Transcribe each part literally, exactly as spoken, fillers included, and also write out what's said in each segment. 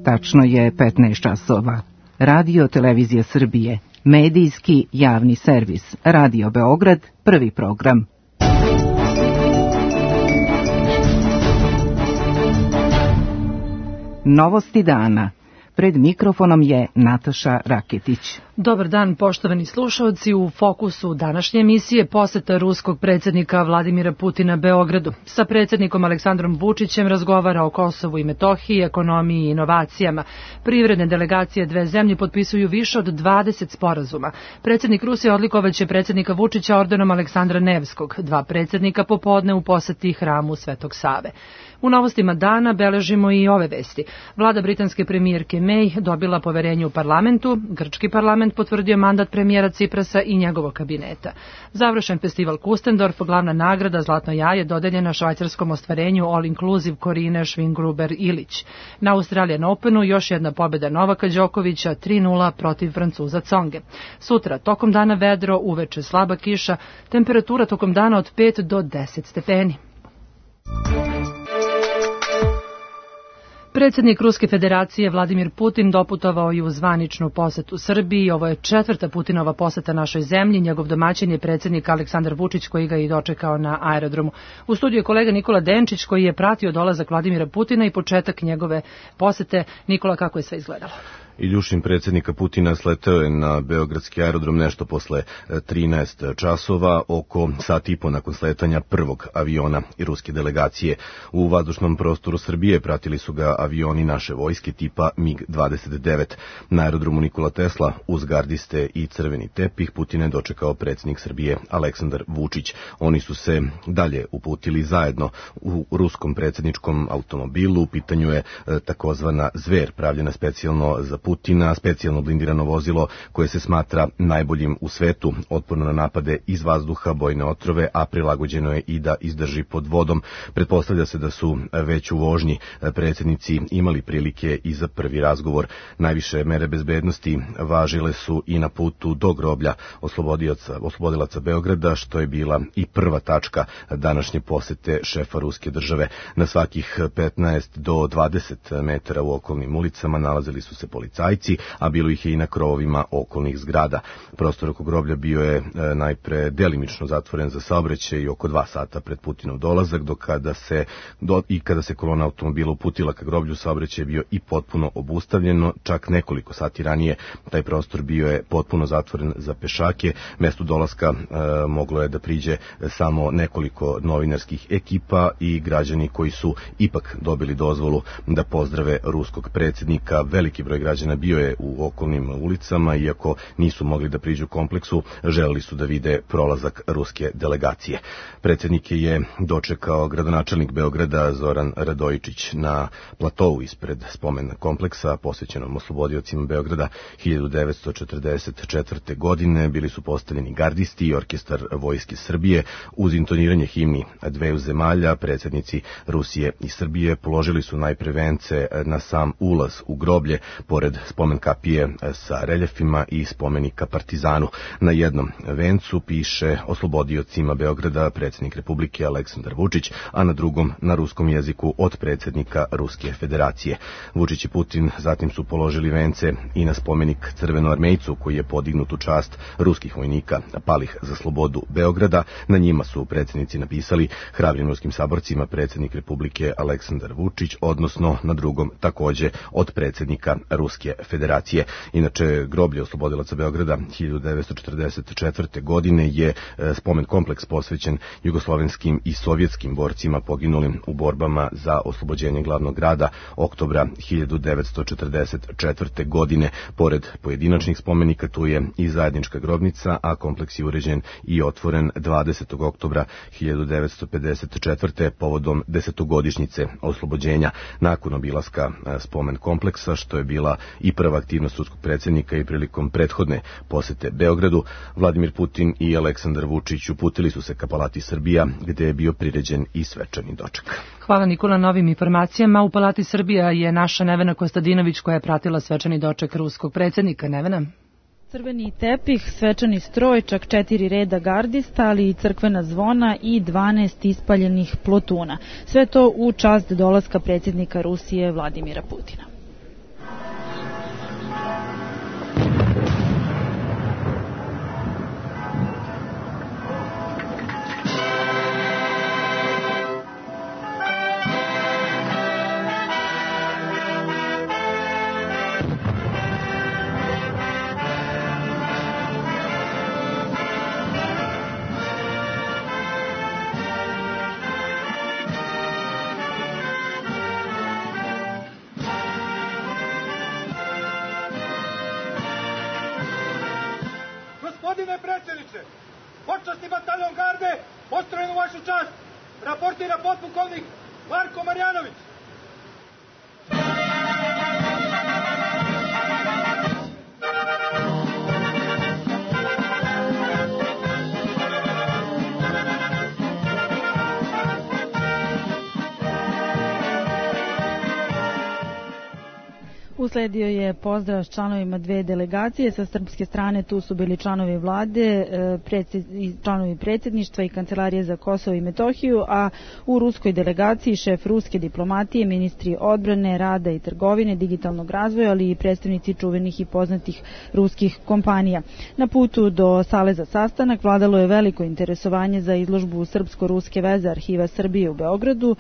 Tačno je petnaest časova. Radio Televizija Srbije, medijski javni servis, Radio Beograd, prvi program. Novosti dana. Pred mikrofonom je Nataša Raketić. Dobar dan, poštovani slušalci. U fokusu današnje emisije poseta ruskog predsjednika Vladimira Putina Beogradu. Sa predsjednikom Aleksandrom Vučićem razgovara o Kosovu i Metohiji, ekonomiji i inovacijama. Privredne delegacije dve zemlje potpisuju više od dvadeset sporazuma. Predsjednik Rusije odlikovaće predsjednika Vučića ordenom Aleksandra Nevskog. Dva predsjednika popodne u poseti hramu Svetog Save. U novostima dana beležimo i ove vesti. Vlada britanske premijerke May dobila poverenje u parlamentu, grčki parlament potvrdio mandat premijera Ciprasa i njegovog kabineta. Završen festival Kustendorf, glavna nagrada Zlatno jaje dodeljena švajcarskom ostvarenju All Inclusive Korine Švingruber-Ilić. Na Australian Openu još jedna pobjeda Novaka Đokovića tri nula protiv Francuza Tsonge. Sutra tokom dana vedro, uveče slaba kiša, temperatura tokom dana od pet do deset stepeni. Predsjednik Ruske federacije Vladimir Putin doputovao je u zvaničnu posetu Srbiji. Ovo je četvrta Putinova poseta našoj zemlji. Njegov domaćin je predsjednik Aleksandar Vučić koji ga je i dočekao na aerodromu. U studiju je kolega Nikola Denčić koji je pratio dolazak Vladimira Putina i početak njegove posete. Nikola, kako je sve izgledalo? Iljušin predsjednika Putina sleteo je na beogradski aerodrom nešto posle trinaest časova, oko sat i po nakon sletanja prvog aviona i ruske delegacije. U vazdušnom prostoru Srbije pratili su ga avioni naše vojske tipa mig dvadeset devet. Na aerodromu Nikola Tesla uz gardiste i crveni tepih Putina je dočekao predsjednik Srbije Aleksandar Vučić. Oni su se dalje uputili zajedno u ruskom predsjedničkom automobilu. U pitanju je takozvana Zver, pravljena specijalno za Putina, specijalno blindirano vozilo koje se smatra najboljim u svetu, otporno na napade iz vazduha, bojne otrove, a prilagođeno je i da izdrži pod vodom. Pretpostavlja se da su već u vožnji predsjednici imali prilike i za prvi razgovor. Najviše mere bezbednosti važile su i na putu do groblja oslobodilaca Beograda, što je bila i prva tačka današnje posete šefa ruske države. Na svakih petnaest do dvadeset metara u okolnim ulicama nalazili su se policajci, a bilo ih je i na krovovima okolnih zgrada. Prostor oko groblja bio je e, najpre delimično zatvoren za saobraćaj i oko dva sata pred Putinov dolazak, dok kada se, do, i kada se kolona automobila uputila ka groblju, saobraćaj je bio i potpuno obustavljeno. Čak nekoliko sati ranije taj prostor bio je potpuno zatvoren za pešake. Mestu dolaska e, moglo je da priđe samo nekoliko novinarskih ekipa i građani koji su ipak dobili dozvolu da pozdrave ruskog predsjednika. Veliki broj građana bio je u okolnim ulicama, iako nisu mogli da priđu kompleksu, želeli su da vide prolazak ruske delegacije. Predsjednike je dočekao gradonačelnik Beograda Zoran Radojičić na platovu ispred spomen kompleksa posvećenom oslobodiocima Beograda. hiljadu devetsto četrdeset četvrte. godine bili su postavljeni gardisti i orkestar Vojske Srbije. Uz intoniranje himni dveju zemalja, predsjednici Rusije i Srbije položili su najpre vence na sam ulaz u groblje, pored spomen kapije sa reljefima i spomenika Partizanu. Na jednom vencu piše oslobodiocima Beograda predsjednik Republike Aleksandar Vučić, a na drugom na ruskom jeziku od predsjednika Ruske federacije. Vučić i Putin zatim su položili vence i na spomenik crvenoarmejcu koji je podignut u čast ruskih vojnika palih za slobodu Beograda. Na njima su predsjednici napisali hrabrim ruskim saborcima predsjednik Republike Aleksandar Vučić, odnosno na drugom takođe od predsjednika Ruske federacije. Inače, groblje oslobodilaca Beograda hiljadu devetsto četrdeset četvrte. godine je spomen kompleks posvećen jugoslovenskim i sovjetskim borcima poginulim u borbama za oslobođenje glavnog grada oktobra hiljadu devetsto četrdeset četvrte. godine. Pored pojedinačnih spomenika tu je i zajednička grobnica, a kompleks je uređen i otvoren dvadesetog oktobra hiljadu devetsto pedeset četvrte. povodom desetogodišnjice oslobođenja. Nakon obilaska spomen kompleksa, što je bila i prva aktivnost ruskog predsjednika i prilikom prethodne posete Beogradu, Vladimir Putin i Aleksandar Vučić uputili su se ka Palati Srbija, gde je bio priređen i svečani doček. Hvala Nikola na novim informacijama. U Palati Srbija je naša Nevena Kostadinović koja je pratila svečani doček ruskog predsjednika. Nevena? Crveni tepih, svečani stroj, čak četiri reda gardista, ali i crkvena zvona i dvanaest ispaljenih plotuna. Sve to u čast dolaska predsjednika Rusije Vladimira Putina. Gospodine predsjedniče, počasni bataljon garde, postrojen u vašu čast, raportira potpukovnik Marko Marjanović. Usledio je pozdrav s članovima dve delegacije. Sa srpske strane tu su bili članovi vlade, članovi predsjedništva i Kancelarije za Kosovo i Metohiju, a u ruskoj delegaciji šef ruske diplomatije, ministri odbrane, rada i trgovine, digitalnog razvoja, ali i predstavnici čuvenih i poznatih ruskih kompanija. Na putu do sale za sastanak vladalo je veliko interesovanje za izložbu Srpsko-ruske veze Arhiva Srbije u Beogradu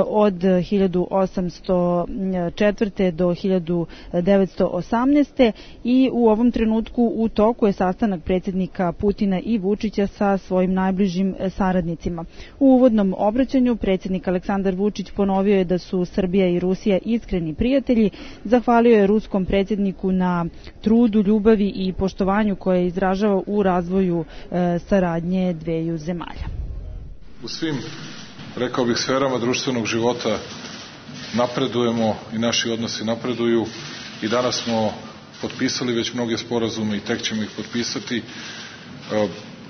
od hiljadu osamsto četvrte do hiljadu devetsto osamnaeste. i u ovom trenutku u toku je sastanak predsjednika Putina i Vučića sa svojim najbližim saradnicima. U uvodnom obraćanju predsjednik Aleksandar Vučić ponovio je da su Srbija i Rusija iskreni prijatelji, zahvalio je ruskom predsjedniku na trudu, ljubavi i poštovanju koje izražava u razvoju e, saradnje dveju zemalja. U svim, rekao bih, sferama društvenog života napredujemo i naši odnosi napreduju i danas smo potpisali već mnoge sporazume i tek ćemo ih potpisati.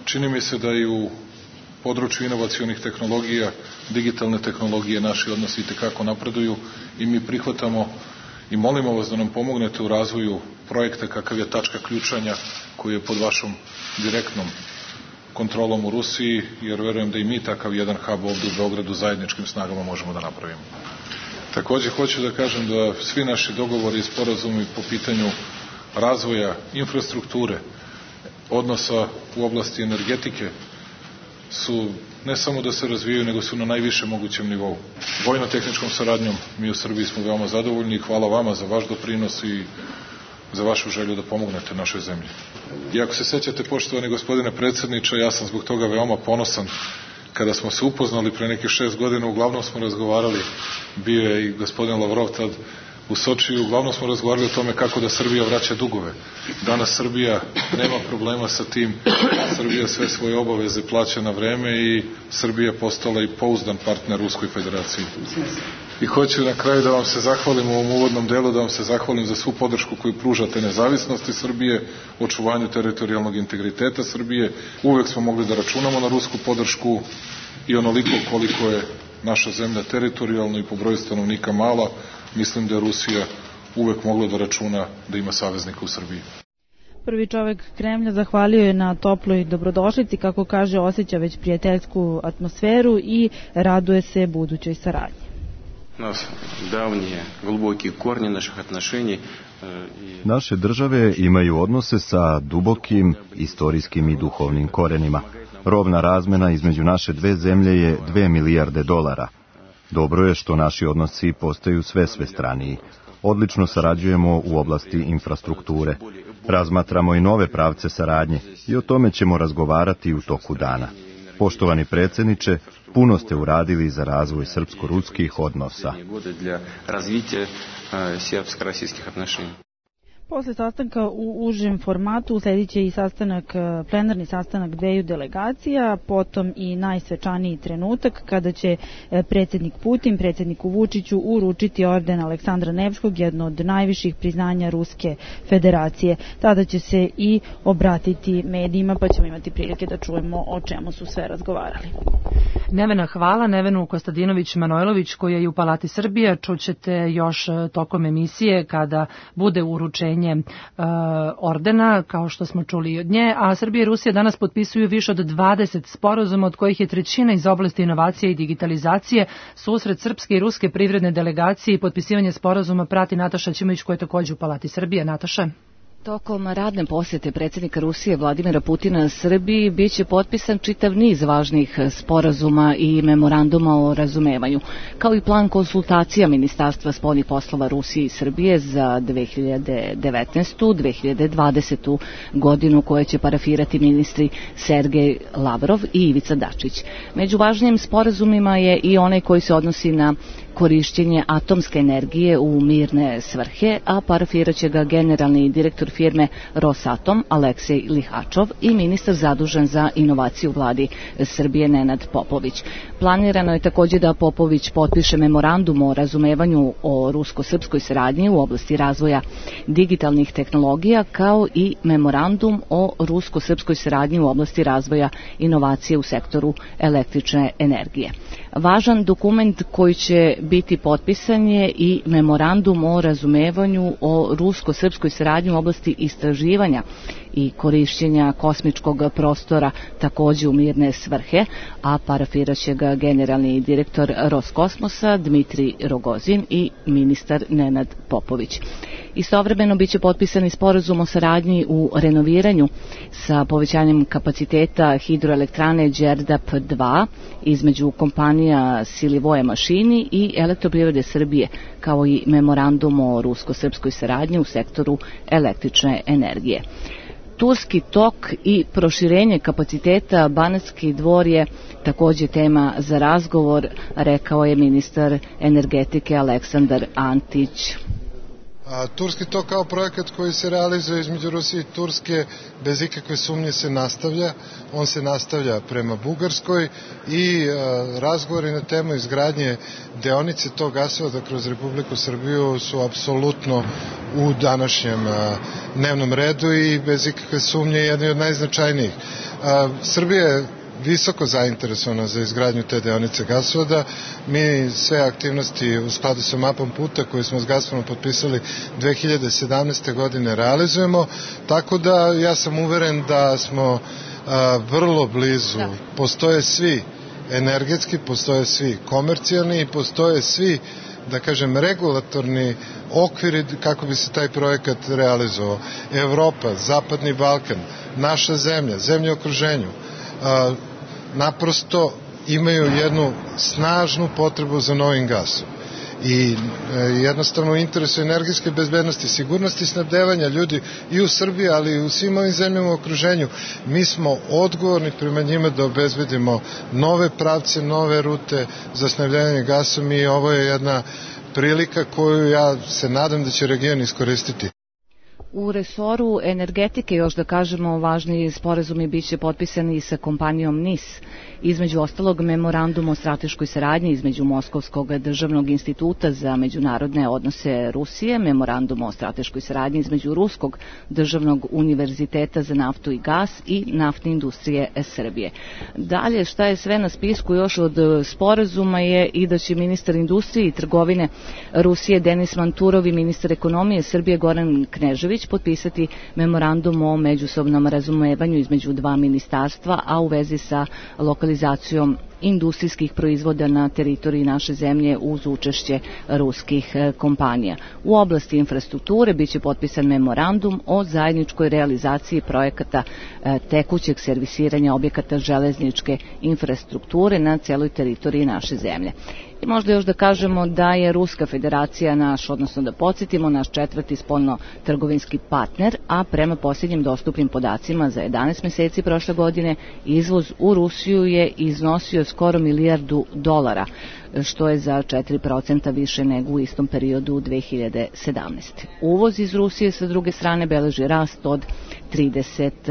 Čini mi se da i u području inovacionih tehnologija, digitalne tehnologije naši odnosi itekako napreduju i mi prihvatamo i molimo vas da nam pomognete u razvoju projekta kakav je tačka ključanja koji je pod vašom direktnom kontrolom u Rusiji, jer verujem da i mi takav jedan hub ovdje u Beogradu zajedničkim snagama možemo da napravimo. Također hoću da kažem da svi naši dogovori i sporazumi po pitanju razvoja infrastrukture, odnosa u oblasti energetike su ne samo da se razvijaju, nego su na najvišem mogućem nivou. Vojno-tehničkom saradnjom mi u Srbiji smo veoma zadovoljni i hvala vama za vaš doprinos i za vašu želju da pomognete našoj zemlji. I ako se sećate, poštovani gospodine predsjedniče, ja sam zbog toga veoma ponosan. Kada smo se upoznali pre nekih šest godina, uglavnom smo razgovarali, bio je i gospodin Lavrov tad u Sočiju, uglavnom smo razgovarali o tome kako da Srbija vraća dugove. Danas Srbija nema problema sa tim, Srbija sve svoje obaveze plaća na vreme i Srbija je postala i pouzdan partner Ruskoj federaciji. I hoću na kraju da vam se zahvalim u ovom uvodnom delu, da vam se zahvalim za svu podršku koju pružate nezavisnosti Srbije, očuvanju teritorijalnog integriteta Srbije. Uvek smo mogli da računamo na rusku podršku i onoliko koliko je naša zemlja teritorijalno i po broju stanovnika mala, mislim da je Rusija uvek mogla da računa da ima saveznika u Srbiji. Prvi čovjek Kremlja zahvalio je na toploj dobrodošlici, kako kaže, osjeća već prijateljsku atmosferu i raduje se budućoj saradnji. Naše države imaju odnose sa dubokim istorijskim i duhovnim korenima. Robna razmena između naše dve zemlje je dve milijarde dolara. Dobro je što naši odnosi postaju sve svestraniji. Odlično sarađujemo u oblasti infrastrukture. Razmatramo i nove pravce saradnje i o tome ćemo razgovarati u toku dana. Poštovani predsjedniče, puno ste uradili za razvoj srpsko-ruskih odnosa. Posle sastanka u užem formatu usledit će i sastanak, plenarni sastanak dveju delegacija, potom i najsvečaniji trenutak kada će predsjednik Putin predsjedniku Vučiću uručiti orden Aleksandra Nevskog, jedno od najviših priznanja Ruske federacije. Tada će se i obratiti medijima, pa ćemo imati prilike da čujemo o čemu su sve razgovarali. Nevena hvala Nevenu Kostadinović-Manojlović koja je u Palati Srbije. Čućete još tokom emisije kada bude uručenje uh, ordena, kao što smo čuli od nje, a Srbija i Rusija danas potpisuju više od dvadeset sporazuma, od kojih je trećina iz oblasti inovacije i digitalizacije. Susret srpske i ruske privredne delegacije i potpisivanje sporazuma prati Nataša Ćimović koja je također u Palati Srbije. Nataša. Tokom radne posjete predsjednika Rusije Vladimira Putina Srbiji biće potpisan čitav niz važnih sporazuma i memoranduma o razumevanju, kao i plan konsultacija Ministarstva spoljnih poslova Rusije i Srbije za dve hiljade devetnaestu do dve hiljade dvadesete. godinu koje će parafirati ministri Sergej Lavrov i Ivica Dačić. Među važnijim sporazumima je i onaj koji se odnosi na korišćenje atomske energije u mirne svrhe, a parafirat će ga generalni direktor firme Rosatom Aleksej Lihačov i ministar zadužen za inovaciju u vladi Srbije Nenad Popović. Planirano je također da Popović potpiše memorandum o razumevanju o rusko-srpskoj saradnji u oblasti razvoja digitalnih tehnologija, kao i memorandum o rusko-srpskoj saradnji u oblasti razvoja inovacije u sektoru električne energije. Važan dokument koji će biti potpisan je i memorandum o razumevanju o rusko-srpskoj saradnji u oblasti istraživanja i korišćenja kosmičkog prostora, također u mirne svrhe, a parafiraće ga generalni direktor Roskosmosa Dmitrij Rogozin i ministar Nenad Popović. Istovremeno biće potpisani sporazum o saradnji u renoviranju sa povećanjem kapaciteta hidroelektrane Đerdap dva između kompanija Silivoje Mašini i Elektroprivrede Srbije, kao i memorandum o rusko-srpskoj saradnji u sektoru električne energije. Turski tok i proširenje kapaciteta Banatski Dvor je također tema za razgovor, rekao je ministar energetike Aleksandar Antić. A, Turski tok kao projekat koji se realizuje između Rusije i Turske bez ikakve sumnje se nastavlja. On se nastavlja prema Bugarskoj i a, razgovori na temu izgradnje deonice tog gasovoda kroz Republiku Srbiju su apsolutno u današnjem a, dnevnom redu i bez ikakve sumnje jedni od najznačajnijih. A, Srbija je visoko zainteresovana za izgradnju te deonice gasovoda. Mi sve aktivnosti u skladu sa mapom puta koju smo s Gazpromom potpisali dve hiljade sedamnaeste. godine realizujemo, tako da ja sam uveren da smo a, vrlo blizu. Da. Postoje svi energetski, postoje svi komercijalni i postoje svi, da kažem, regulatorni okviri kako bi se taj projekat realizovao. Evropa, Zapadni Balkan, naša zemlja, zemlje u okruženju, a, naprosto imaju jednu snažnu potrebu za novim gasom. I e, jednostavno u interesu energetske bezbednosti, sigurnosti snabdevanja ljudi i u Srbiji, ali i u svim ovim zemljama u okruženju, mi smo odgovorni prema njima da obezbedimo nove pravce, nove rute za snabdevanje gasom i ovo je jedna prilika koju ja se nadam da će region iskoristiti. U resoru energetike, još da kažemo, važni sporazumi biće potpisani sa kompanijom N I S. Između ostalog, memorandum o strateškoj saradnji između Moskovskog državnog instituta za međunarodne odnose Rusije, memorandum o strateškoj saradnji između Ruskog državnog univerziteta za naftu i gas i naftne industrije Srbije. Dalje, šta je sve na spisku još od sporazuma je i da će ministar industrije i trgovine Rusije Denis Manturov i ministar ekonomije Srbije Goran Knežević potpisati memorandum o međusobnom razumevanju između dva ministarstva, a u vezi sa lokalizacijom industrijskih proizvoda na teritoriji naše zemlje uz učešće ruskih kompanija. U oblasti infrastrukture biće potpisan memorandum o zajedničkoj realizaciji projekata tekućeg servisiranja objekata železničke infrastrukture na celoj teritoriji naše zemlje. I možda još da kažemo da je Ruska federacija naš, odnosno da podsjetimo, naš četvrti spoljno-trgovinski partner, a prema posljednjim dostupnim podacima za jedanaest meseci prošle godine izvoz u Rusiju je iznosio skoro milijardu dolara, što je za četiri procenta više nego u istom periodu dve hiljade sedamnaeste. Uvoz iz Rusije sa druge strane beleži rast od trideset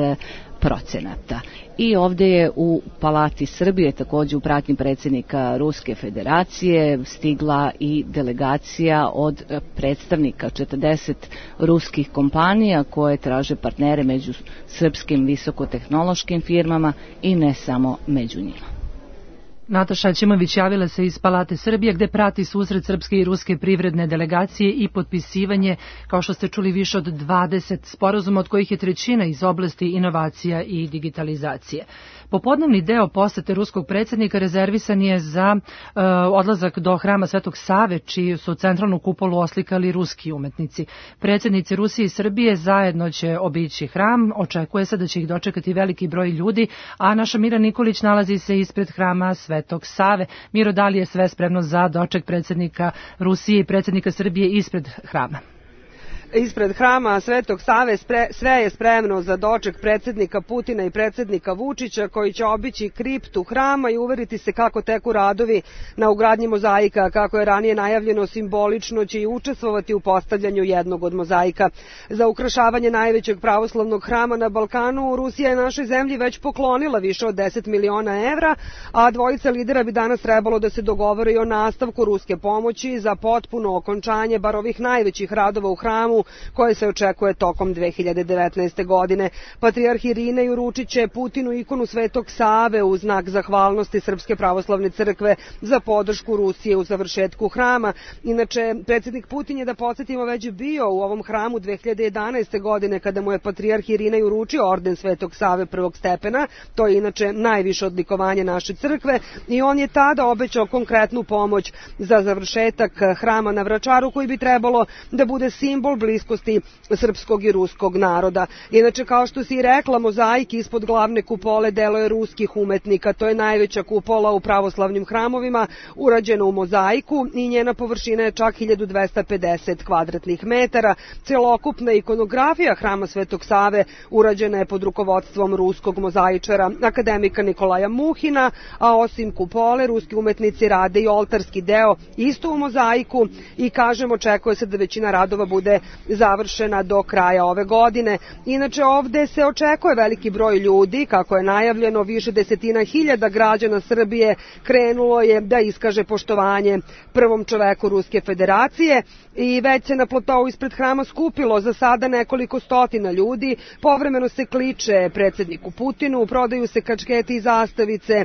procenata. I ovdje je u Palati Srbije, također u pratnji predsjednika Ruske federacije, stigla i delegacija od predstavnika četrdeset ruskih kompanija koje traže partnere među srpskim visokotehnološkim firmama i ne samo među njima. Nataša Ćimović javila se iz Palate Srbije gde prati susret srpske i ruske privredne delegacije i potpisivanje, kao što ste čuli, više od dvadeset sporazuma, od kojih je trećina iz oblasti inovacija i digitalizacije. Popodnevni deo posete ruskog predsjednika rezervisan je za e, odlazak do hrama Svetog Save, čiju su centralnu kupolu oslikali ruski umetnici. Predsjednici Rusije i Srbije zajedno će obići hram, očekuje se da će ih dočekati veliki broj ljudi, a naša Mira Nikolić nalazi se ispred hrama Svetog Save. Miro, da li je sve spremno za doček predsjednika Rusije i predsjednika Srbije ispred hrama? ispred hrama Svetog Save sve je spremno za doček predsjednika Putina i predsjednika Vučića koji će obići kriptu hrama i uveriti se kako teku radovi na ugradnji mozaika. Kako je ranije najavljeno, simbolično će i učestvovati u postavljanju jednog od mozaika. Za ukrašavanje najvećeg pravoslavnog hrama na Balkanu Rusija je našoj zemlji već poklonila više od deset miliona evra, a dvojica lidera bi danas trebalo da se dogovore i o nastavku ruske pomoći za potpuno okončanje bar ovih najvećih radova u hramu koje se očekuje tokom dve hiljade devetnaeste. godine. Patrijarh Irinej uručit će Putinu ikonu Svetog Save u znak zahvalnosti Srpske pravoslavne crkve za podršku Rusije u završetku hrama. Inače, predsjednik Putin je, da podsjetimo, već bio u ovom hramu dve hiljade jedanaeste. godine kada mu je patrijarh Irinej uručio orden Svetog Save prvog stepena. To je inače najviše odlikovanje naše crkve i on je tada obećao konkretnu pomoć za završetak hrama na Vračaru koji bi trebalo da bude simbol bliskosti srpskog i ruskog naroda. Inače, kao što si i rekla, mozaik ispod glavne kupole delo je ruskih umetnika. To je najveća kupola u pravoslavnim hramovima, urađena u mozaiku i njena površina je čak hiljadu dvesta pedeset kvadratnih metara. Celokupna ikonografija hrama Svetog Save urađena je pod rukovodstvom ruskog mozaičara akademika Nikolaja Muhina, a osim kupole, ruski umetnici rade i oltarski deo isto u mozaiku i, kažem, očekuje se da većina radova bude završena do kraja ove godine. Inače, ovde se očekuje veliki broj ljudi, kako je najavljeno, više desetina hiljada građana Srbije krenulo je da iskaže poštovanje prvom čoveku Ruske federacije i već se na platou ispred hrama skupilo za sada nekoliko stotina ljudi. Povremeno se kliče predsjedniku Putinu, prodaju se kačketi i zastavice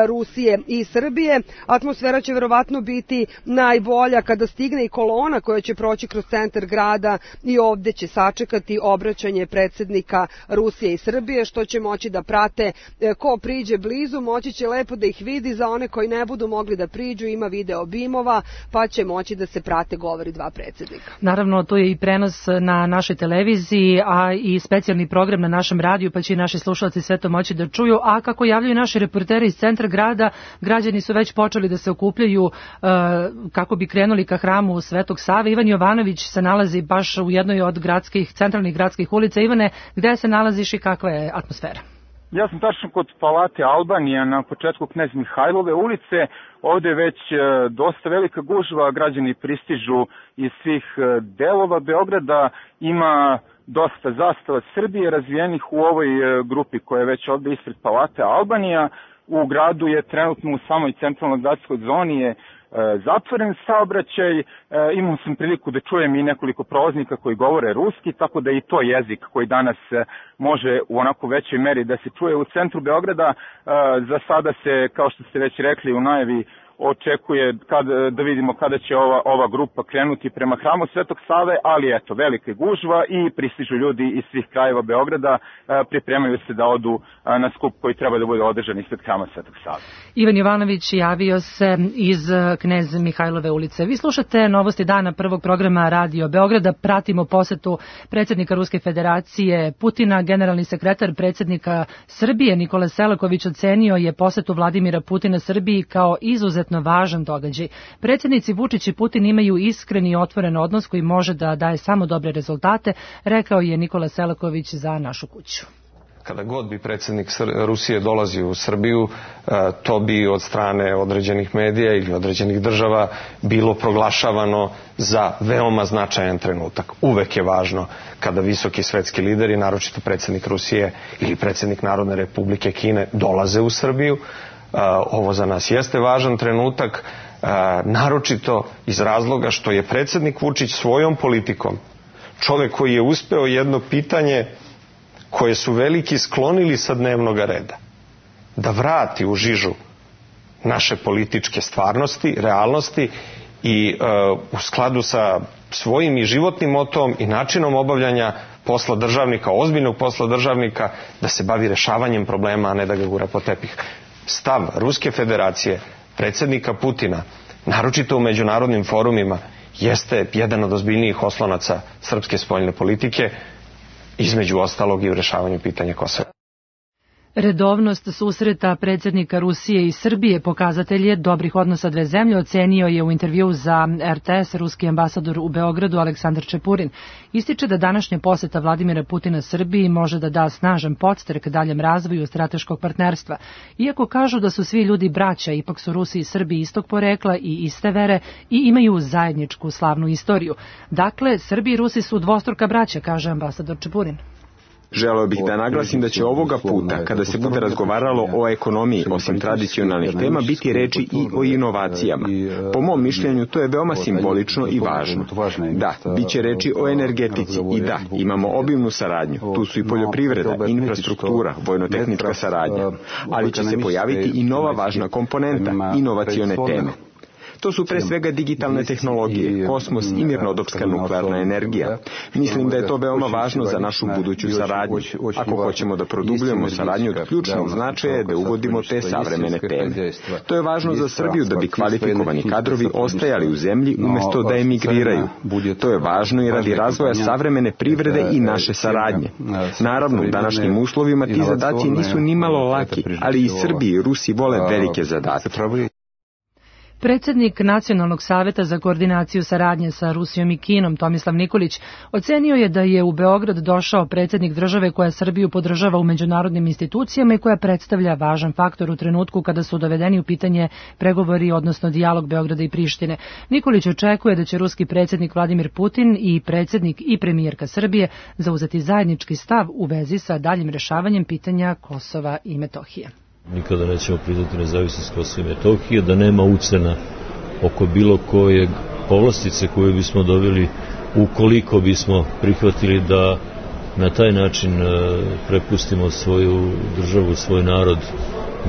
Rusije i Srbije. Atmosfera će verovatno biti najbolja kada stigne i kolona koja će proći kroz centar grada i ovde će sačekati obraćanje predsjednika Rusije i Srbije, što će moći da prate ko priđe blizu, moći će lepo da ih vidi. Za one koji ne budu mogli da priđu, ima video bimova, pa će moći da se prate govori dva predsjednika. Naravno, to je i prenos na našoj televiziji, a i specijalni program na našem radiju, pa će i naši slušalci sve to moći da čuju. A kako javljaju naši reporteri iz centra grada, građani su već počeli da se okupljaju uh, kako bi krenuli ka hramu Svetog Save. Ivan Jovanović se nalazi baš u jednoj od gradskih, centralnih gradskih ulica. Ivane, gde se nalaziš i kakva je atmosfera? Ja sam tačno kod Palate Albanija na početku Knez Mihajlove ulice. Ovde je već dosta velika gužva, građani pristižu iz svih delova Beograda. Ima dosta zastava Srbije razvijenih u ovoj grupi koja je već ovde ispred Palate Albanija. U gradu je trenutno u samoj centralnoj gradskoj zoni je zatvoren saobraćaj. Imao sam priliku da čujem i nekoliko prolaznika koji govore ruski, tako da i to jezik koji danas može u onako većoj meri da se čuje u centru Beograda. Za sada se, kao što ste već rekli u najavi, očekuje kad, da vidimo kada će ova, ova grupa krenuti prema hramu Svetog Save, ali eto, velika gužva i pristižu ljudi iz svih krajeva Beograda, pripremaju se da odu na skup koji treba da bude održan ispred hrama Svetog Save. Ivan Jovanović javio se iz Knez Mihajlove ulice. Vi slušate novosti dana prvog programa Radio Beograda, pratimo posetu predsjednika Ruske federacije Putina. Generalni sekretar predsjednika Srbije Nikola Selaković ocenio je posetu Vladimira Putina Srbiji kao izuzetno važan događaj. Predsjednici Vučić i Putin imaju iskren i otvoren odnos koji može da daje samo dobre rezultate, rekao je Nikola Selaković za Našu kuću. Kada god bi predsjednik Rusije dolazio u Srbiju, to bi od strane određenih medija ili određenih država bilo proglašavano za veoma značajan trenutak. Uvek je važno kada visoki svetski lideri, naročito predsjednik Rusije ili predsjednik Narodne Republike Kine, dolaze u Srbiju. Ovo za nas jeste važan trenutak, naročito iz razloga što je predsjednik Vučić svojom politikom čovjek koji je uspeo jedno pitanje koje su veliki sklonili sa dnevnog reda, da vrati u žižu naše političke stvarnosti, realnosti i uh, u skladu sa svojim i životnim motom i načinom obavljanja posla državnika, ozbiljnog posla državnika, da se bavi rešavanjem problema, a ne da ga gura po tepih. Stav Ruske federacije, predsjednika Putina, naročito u međunarodnim forumima, jeste jedan od ozbiljnijih oslonaca srpske spoljne politike, između ostalog i u rešavanju pitanja Kosova. Redovnost susreta predsjednika Rusije i Srbije pokazatelj je dobrih odnosa dve zemlje, ocenio je u intervjuu za R T S ruski ambasador u Beogradu Aleksandar Čepurin. Ističe da današnja poseta Vladimira Putina Srbiji može da da snažan podstrek daljem razvoju strateškog partnerstva. Iako kažu da su svi ljudi braća, ipak su Rusi i Srbi istog porekla i iste vere i imaju zajedničku slavnu istoriju. Dakle, Srbi i Rusi su dvostruka braća, kaže ambasador Čepurin. Želeo bih da naglasim da će ovoga puta, kada se bude razgovaralo o ekonomiji, osim tradicionalnih tema, biti reči i o inovacijama. Po mom mišljenju, to je veoma simbolično i važno. Da, bit će reči o energetici i da, imamo obimnu saradnju. Tu su i poljoprivreda, infrastruktura, vojno-tehnička saradnja. Ali će se pojaviti i nova važna komponenta, inovacione teme. To su pre svega digitalne tehnologije, kosmos i mirnodopska nuklearna energija. Mislim da je to veoma važno za našu buduću saradnju. Ako hoćemo da produbljujemo saradnju od ključnog značaja je da uvodimo te savremene teme. To je važno za Srbiju da bi kvalifikovani kadrovi ostajali u zemlji umesto da emigriraju. To je važno i radi razvoja savremene privrede i naše saradnje. Naravno, u današnjim uslovima ti zadaci nisu nimalo laki, ali i Srbi i Rusi vole velike zadatke. Predsjednik Nacionalnog saveta za koordinaciju saradnje sa Rusijom i Kinom, Tomislav Nikolić, ocenio je da je u Beograd došao predsjednik države koja Srbiju podržava u međunarodnim institucijama i koja predstavlja važan faktor u trenutku kada su dovedeni u pitanje pregovori, odnosno dijalog Beograda i Prištine. Nikolić očekuje da će ruski predsjednik Vladimir Putin i predsjednik i premijerka Srbije zauzeti zajednički stav u vezi sa daljim rešavanjem pitanja Kosova i Metohije. Nikada nećemo priznati nezavisnost Kosova i Metohije, da nema ucena oko bilo kojeg povlastice koju bismo dobili ukoliko bismo prihvatili da na taj način prepustimo svoju državu, svoj narod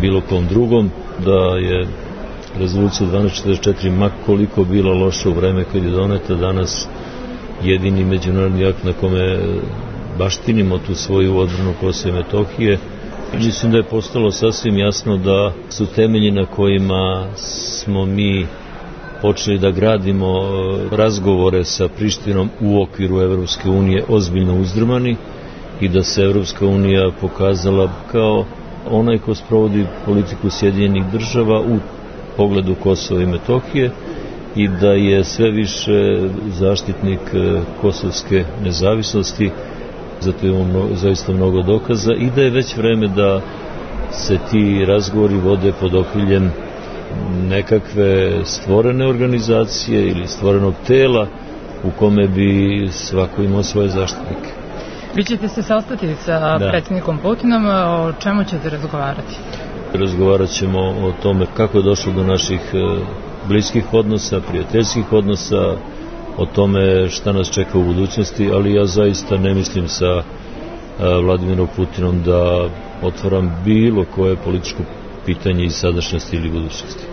bilo kom drugom, da je rezolucija dvanaest četrdeset četiri ma koliko bila loša u vreme kad je doneta, danas jedini međunarodni akt na kome baštinimo tu svoju odbranu Kosova i Metohije. Mislim da je postalo sasvim jasno da su temelji na kojima smo mi počeli da gradimo razgovore sa Prištinom u okviru Evropske unije ozbiljno uzdrmani i da se Evropska unija pokazala kao onaj ko sprovodi politiku Sjedinjenih država u pogledu Kosova i Metohije i da je sve više zaštitnik kosovske nezavisnosti. Zato imamo mnogo, zaista mnogo dokaza i da je već vreme da se ti razgovori vode pod okriljem nekakve stvorene organizacije ili stvorenog tela u kome bi svako imao svoje zaštitnike. Vi ćete se sastati sa da. predsjednikom Putinom, o čemu ćete razgovarati? Razgovarat ćemo o tome kako je došlo do naših bliskih odnosa, prijateljskih odnosa, o tome šta nas čeka u budućnosti, ali ja zaista ne mislim sa Vladimirom Putinom da otvaram bilo koje političko pitanje iz sadašnjosti ili budućnosti.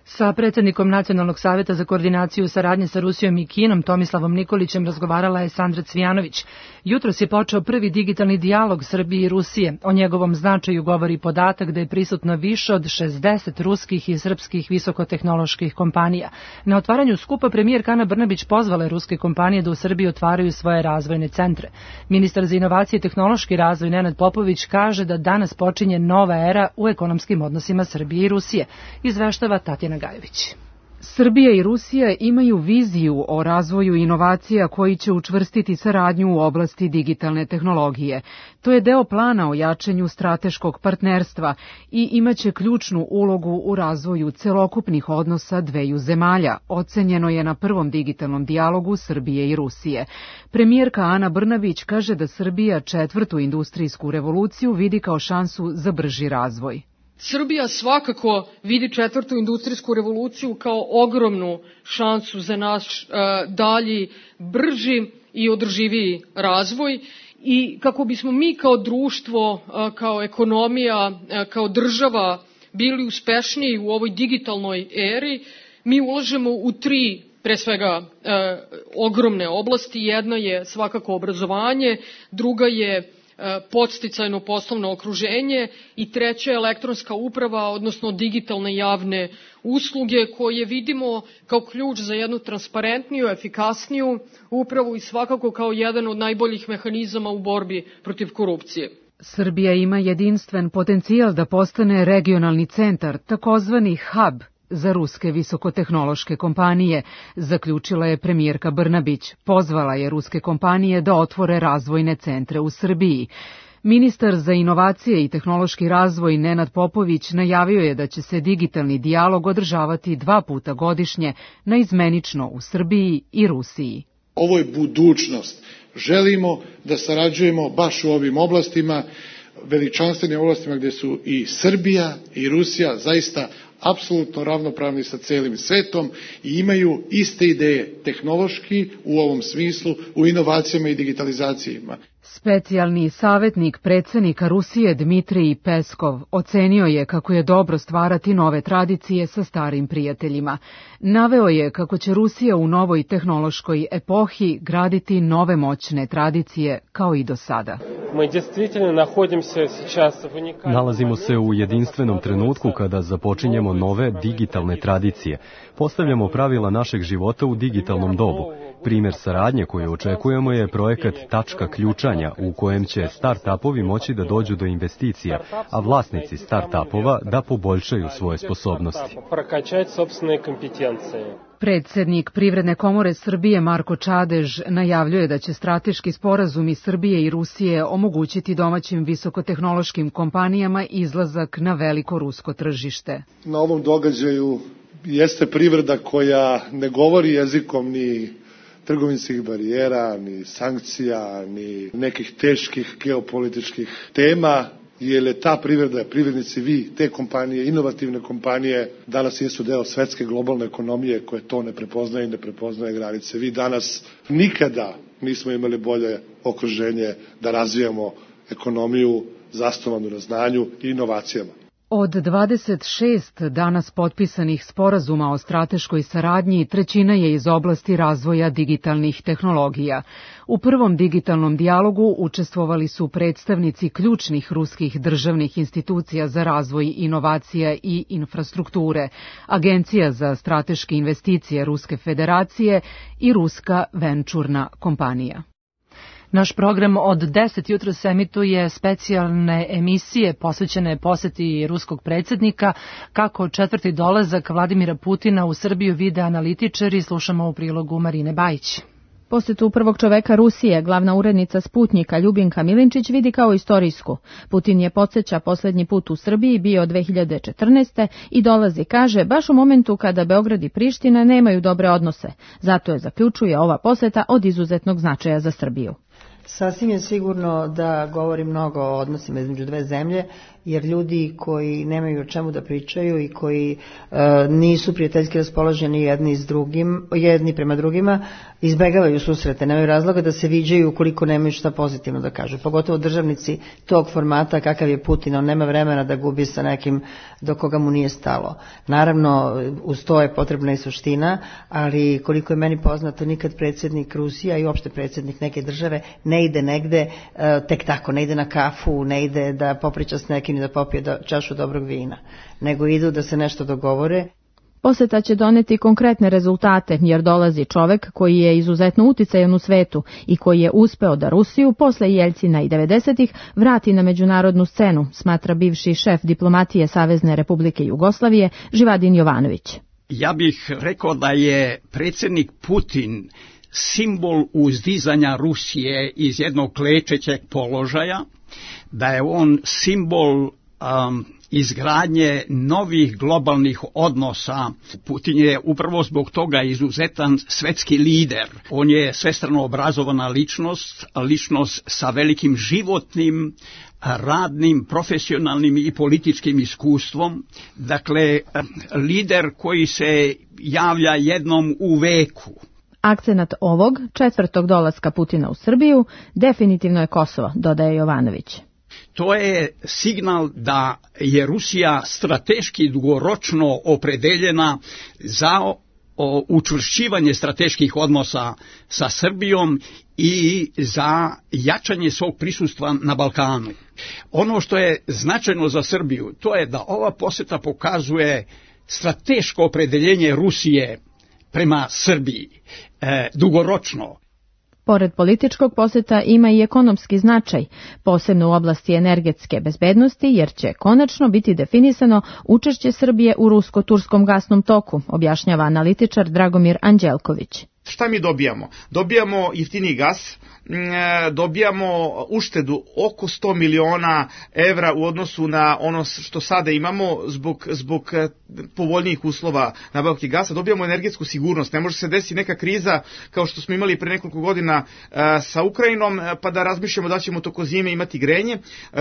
Sa predsjednikom Nacionalnog saveta za koordinaciju saradnje sa Rusijom i Kinom, Tomislavom Nikolićem, razgovarala je Sandra Cvijanović. Jutros je počeo prvi digitalni dijalog Srbije i Rusije. O njegovom značaju govori podatak da je prisutno više od šezdeset ruskih i srpskih visokotehnoloških kompanija. Na otvaranju skupa premijerka Ana Brnabić pozvala je ruske kompanije da u Srbiji otvaraju svoje razvojne centre. Ministar za inovacije i tehnološki razvoj Nenad Popović kaže da danas počinje nova era u ekonomskim odnosima Srbije i Rusije. Izveštava Tatjana Gajević. Srbija i Rusija imaju viziju o razvoju inovacija koji će učvrstiti saradnju u oblasti digitalne tehnologije. To je deo plana o jačanju strateškog partnerstva i imaće ključnu ulogu u razvoju celokupnih odnosa dveju zemalja, ocenjeno je na prvom digitalnom dijalogu Srbije i Rusije. Premijerka Ana Brnabić kaže da Srbija četvrtu industrijsku revoluciju vidi kao šansu za brži razvoj. Srbija svakako vidi četvrtu industrijsku revoluciju kao ogromnu šansu za naš uh, dalji, brži i održiviji razvoj i kako bismo mi kao društvo, uh, kao ekonomija, uh, kao država bili uspešniji u ovoj digitalnoj eri, mi ulažemo u tri pre svega e, ogromne oblasti. Jedna je svakako obrazovanje, druga je podsticajno poslovno okruženje i treća je elektronska uprava, odnosno digitalne javne usluge koje vidimo kao ključ za jednu transparentniju, efikasniju upravu i svakako kao jedan od najboljih mehanizama u borbi protiv korupcije. Srbija ima jedinstven potencijal da postane regionalni centar, takozvani hub, za ruske visokotehnološke kompanije, zaključila je premijerka Brnabić. Pozvala je ruske kompanije da otvore razvojne centre u Srbiji. Ministar za inovacije i tehnološki razvoj Nenad Popović najavio je da će se digitalni dijalog održavati dva puta godišnje, naizmenično u Srbiji i Rusiji. Ovo je budućnost. Želimo da sarađujemo baš u ovim oblastima, veličanstvenim oblastima gdje su i Srbija i Rusija zaista apsolutno ravnopravni sa celim svetom i imaju iste ideje tehnološki u ovom smislu, u inovacijama i digitalizacijama. Specijalni savjetnik predsjednika Rusije Dmitrij Peskov ocenio je kako je dobro stvarati nove tradicije sa starim prijateljima. Naveo je kako će Rusija u novoj tehnološkoj epohi graditi nove moćne tradicije kao i do sada. Nalazimo se u jedinstvenom trenutku kada započinjemo nove digitalne tradicije. Postavljamo pravila našeg života u digitalnom dobu. Primjer saradnje koju očekujemo je projekat Tačka ključanja u kojem će start-upovi moći da dođu do investicija, a vlasnici start-upova da poboljšaju svoje sposobnosti. Predsjednik Privredne komore Srbije Marko Čadež najavljuje da će strateški sporazumi Srbije i Rusije omogućiti domaćim visokotehnološkim kompanijama izlazak na veliko rusko tržište. Na ovom događaju jeste privreda koja ne govori jezikom ni trgovinskih barijera, ni sankcija, ni nekih teških geopolitičkih tema, jer je ta privreda, privrednici vi, te kompanije, inovativne kompanije, danas jesu deo svetske globalne ekonomije koje to ne prepoznaje i ne prepoznaje granice. Vi danas nikada nismo imali bolje okruženje da razvijamo ekonomiju zasnovanu na znanju i inovacijama. Od dvadeset šest danas potpisanih sporazuma o strateškoj saradnji, trećina je iz oblasti razvoja digitalnih tehnologija. U prvom digitalnom dijalogu učestvovali su predstavnici ključnih ruskih državnih institucija za razvoj inovacija i infrastrukture, Agencija za strateške investicije Ruske federacije i Ruska venčurna kompanija. Naš program od deset jutros emituje specijalne emisije posvećene poseti ruskog predsjednika, kako četvrti dolazak Vladimira Putina u Srbiju vide analitičari, slušamo u prilogu Marine Bajić. Posetu prvog čoveka Rusije, glavna urednica Sputnjika Ljubinka Milinčić vidi kao istorijsku. Putin je, podsjeća, posljednji put u Srbiji bio dve hiljade četrnaeste. i dolazi, kaže, baš u momentu kada Beograd i Priština nemaju dobre odnose. Zato je, zaključuje, ova poseta od izuzetnog značaja za Srbiju. Sasvim je sigurno da govori mnogo o odnosima između dve zemlje, jer ljudi koji nemaju o čemu da pričaju i koji e, nisu prijateljski raspoloženi jedni s drugim, jedni prema drugima, izbegavaju susrete, nemaju razloga da se viđaju ukoliko nemaju šta pozitivno da kažu. Pogotovo državnici tog formata kakav je Putin, on nema vremena da gubi sa nekim do koga mu nije stalo. Naravno, uz to je potrebna i suština, ali koliko je meni poznato, nikad predsjednik Rusija i uopšte predsjednik neke države ne ide negde e, tek tako, ne ide na kafu, ne ide da popriča s nekim i da popije do, čašu dobrog vina, nego idu da se nešto dogovore. Poseta će doneti konkretne rezultate, jer dolazi čovek koji je izuzetno uticajan u svetu i koji je uspeo da Rusiju posle Jeljcina i devedesetih vrati na međunarodnu scenu, smatra bivši šef diplomatije Savezne Republike Jugoslavije Živadin Jovanović. Ja bih rekao da je predsjednik Putin simbol uzdizanja Rusije iz jednog klečećeg položaja, da je on simbol um, izgradnje novih globalnih odnosa. Putin je upravo zbog toga izuzetan svetski lider. On je svestrano obrazovana ličnost, ličnost sa velikim životnim, radnim, profesionalnim i političkim iskustvom. Dakle, lider koji se javlja jednom u veku. Akcenat ovog četvrtog dolaska Putina u Srbiju definitivno je Kosovo, dodaje Jovanović. To je signal da je Rusija strateški dugoročno opredeljena za učvršćivanje strateških odnosa sa Srbijom i za jačanje svog prisustva na Balkanu. Ono što je značajno za Srbiju, to je da ova poseta pokazuje strateško opredeljenje Rusije prema Srbiji, e, dugoročno. Pored političkog poseta ima i ekonomski značaj, posebno u oblasti energetske bezbednosti, jer će konačno biti definisano učešće Srbije u rusko-turskom gasnom toku, objašnjava analitičar Dragomir Anđelković. Šta mi dobijamo? Dobijamo jeftiniji gas, dobijamo uštedu oko sto miliona evra u odnosu na ono što sada imamo zbog, zbog povoljnijih uslova nabavke gasa, dobijamo energetsku sigurnost. Ne može se desiti neka kriza kao što smo imali pre nekoliko godina sa Ukrajinom, pa da razmišljamo da ćemo toko zime imati grenje.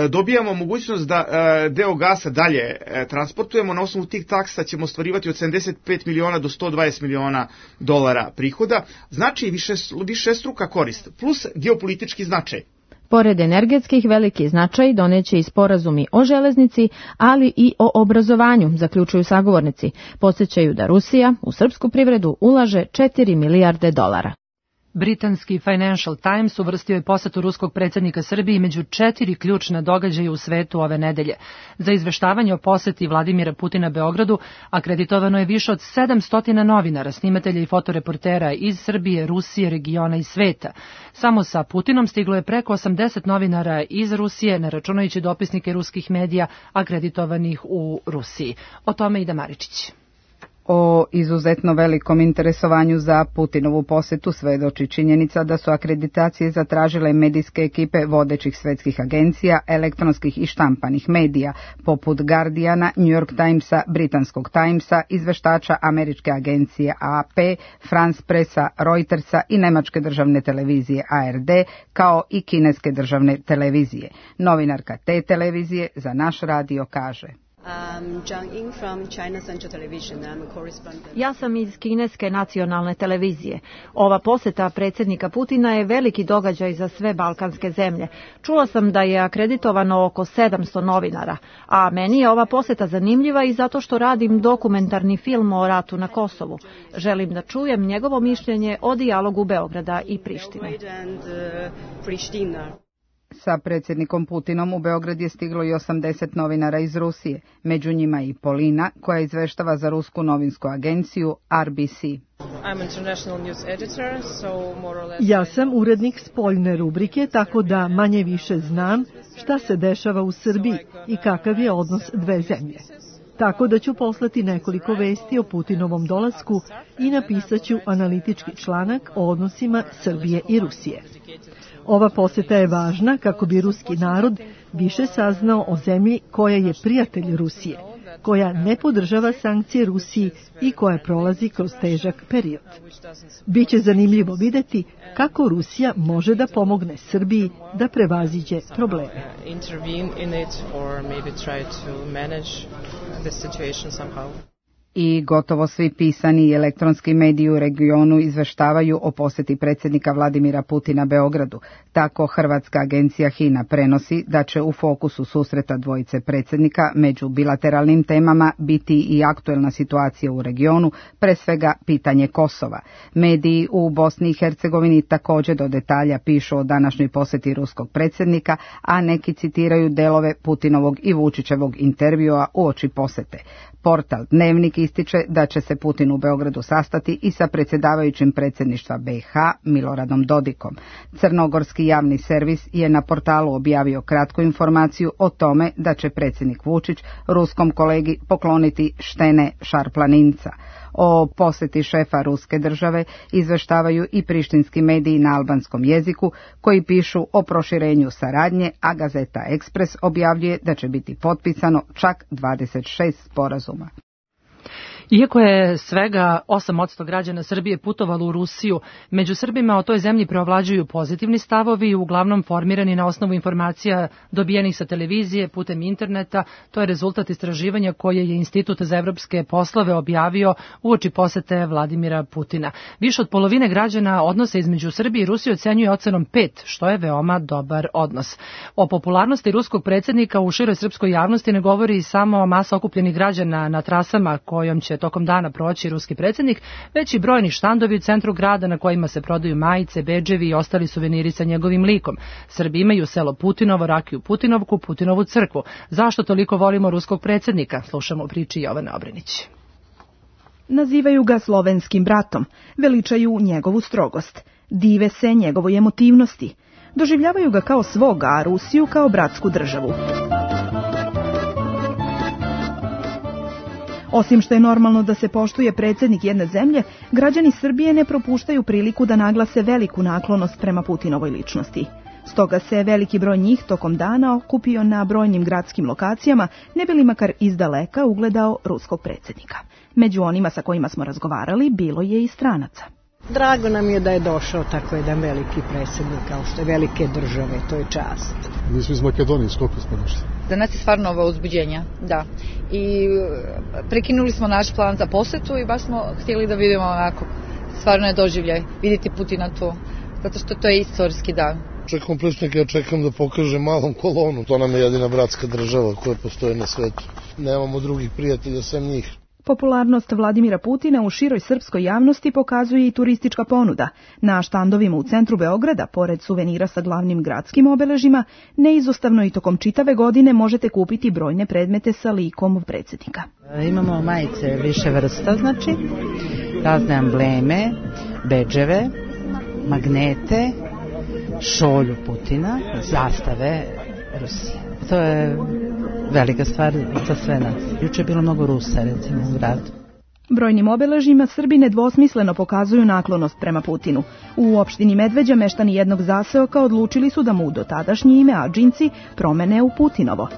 Dobijamo mogućnost da deo gasa dalje transportujemo, na osnovu tih taksa ćemo ostvarivati od sedamdeset pet miliona do sto dvadeset miliona dolara prihoda, znači više, više struka korist, plus geopolitički značaj. Pored energetskih veliki značaj doneće i sporazumi o železnici, ali i o obrazovanju, zaključuju sagovornici. Podsjećaju da Rusija u srpsku privredu ulaže četiri milijarde dolara. Britanski Financial Times uvrstio je posetu ruskog predsjednika Srbiji među četiri ključna događaja u svetu ove nedelje. Za izveštavanje o poseti Vladimira Putina Beogradu akreditovano je više od sedamsto novinara, snimatelja i fotoreportera iz Srbije, Rusije, regiona i sveta. Samo sa Putinom stiglo je preko osamdeset novinara iz Rusije, ne računajući dopisnike ruskih medija akreditovanih u Rusiji. O tome Ida Maričić. O izuzetno velikom interesovanju za Putinovu posetu svedoči činjenica da su akreditacije zatražile medijske ekipe vodećih svetskih agencija, elektronskih i štampanih medija, poput Guardiana, New York Timesa, Britanskog Timesa, izveštača američke agencije A P, France Pressa, Reutersa i nemačke državne televizije A R D, kao i kineske državne televizije. Novinarka te televizije za naš radio kaže: Ja sam iz kineske nacionalne televizije. Ova poseta predsjednika Putina je veliki događaj za sve balkanske zemlje. Čula sam da je akreditovano oko sedamsto novinara, a meni je ova poseta zanimljiva i zato što radim dokumentarni film o ratu na Kosovu. Želim da čujem njegovo mišljenje o dijalogu Beograda i Prištine. Sa predsjednikom Putinom u Beograd je stiglo i osamdeset novinara iz Rusije, među njima i Polina, koja izveštava za rusku novinsku agenciju R B C. Ja sam urednik spoljne rubrike, tako da manje više znam šta se dešava u Srbiji i kakav je odnos dve zemlje. Tako da ću poslati nekoliko vesti o Putinovom dolasku i napisat ću analitički članak o odnosima Srbije i Rusije. Ova poseta je važna kako bi ruski narod više saznao o zemlji koja je prijatelj Rusije, koja ne podržava sankcije Rusiji i koja prolazi kroz težak period. Biće zanimljivo vidjeti kako Rusija može da pomogne Srbiji da prevaziđe probleme. I gotovo svi pisani i elektronski mediji u regionu izveštavaju o posjeti predsjednika Vladimira Putina Beogradu. Tako hrvatska agencija HINA prenosi da će u fokusu susreta dvojice predsjednika među bilateralnim temama biti i aktuelna situacija u regionu, pre svega pitanje Kosova. Mediji u Bosni i Hercegovini također do detalja pišu o današnjoj posjeti ruskog predsjednika, a neki citiraju delove Putinovog i Vučićevog intervjua uoči posjete. Portal Dnevnik ističe da će se Putin u Beogradu sastati i sa predsjedavajućim predsjedništva B i H Miloradom Dodikom. Crnogorski javni servis je na portalu objavio kratku informaciju o tome da će predsjednik Vučić ruskom kolegi pokloniti štene šarplaninca. O posjeti šefa ruske države izveštavaju i prištinski mediji na albanskom jeziku koji pišu o proširenju saradnje, a Gazeta Ekspres objavljuje da će biti potpisano čak dvadeset šest sporazuma. Iako je svega osam posto građana Srbije putovalo u Rusiju, među Srbima o toj zemlji preovlađuju pozitivni stavovi, uglavnom formirani na osnovu informacija dobijenih sa televizije, putem interneta. To je rezultat istraživanja koje je Institut za evropske poslove objavio uoči posete Vladimira Putina. Više od polovine građana odnose između Srbije i Rusije ocenjuje ocenom pet, što je veoma dobar odnos. O popularnosti ruskog predsjednika u široj srpskoj javnosti ne govori samo masa okupljenih građana na trasama kojom će tokom dana proći ruski predsjednik, već i brojni štandovi u centru grada na kojima se prodaju majice, bedževi i ostali suveniri sa njegovim likom. Srbi imaju selo Putinovo, rakiju Putinovku, Putinovu crkvu. Zašto toliko volimo ruskog predsjednika? Slušamo u priči Jovane Obrenić. Nazivaju ga slovenskim bratom, veličaju njegovu strogost. Dive se njegovoj emotivnosti. Doživljavaju ga kao svoga, a Rusiju kao bratsku državu. Osim što je normalno da se poštuje predsjednik jedne zemlje, građani Srbije ne propuštaju priliku da naglase veliku naklonost prema Putinovoj ličnosti. Stoga se veliki broj njih tokom dana okupio na brojnim gradskim lokacijama, ne bi li makar izdaleka ugledao ruskog predsjednika. Među onima sa kojima smo razgovarali bilo je i stranaca. Drago nam je da je došao tako jedan veliki predsjednik, kao što je velike države, to je čast. Mi smo iz Makedonije, koliko smo došli? Za nas je stvarno ovo uzbuđenje, da. I prekinuli smo naš plan za posetu i baš smo htjeli da vidimo onako, stvarno je doživljaj, vidjeti Putina tu, zato što to je istorijski dan. Čekam predsjednika, ja čekam da pokaže malom kolonu. To nam je jedina bratska država koja postoje na svetu. Nemamo drugih prijatelja sem njih. Popularnost Vladimira Putina u široj srpskoj javnosti pokazuje i turistička ponuda. Na štandovima u centru Beograda, pored suvenira sa glavnim gradskim obeležima, neizostavno i tokom čitave godine možete kupiti brojne predmete sa likom predsjednika. Imamo majice više vrsta, znači, razne embleme, bedževe, magnete, šolju Putina, zastave Rusije. To je velika stvar za sve nas. Juče je bilo mnogo Rusa, recimo, u gradu. Brojnim obeležima Srbi nedvosmisleno pokazuju naklonost prema Putinu. U opštini Medveđa meštani jednog zaseoka odlučili su da mu dotadašnje ime Adžinci promene u Putinovo.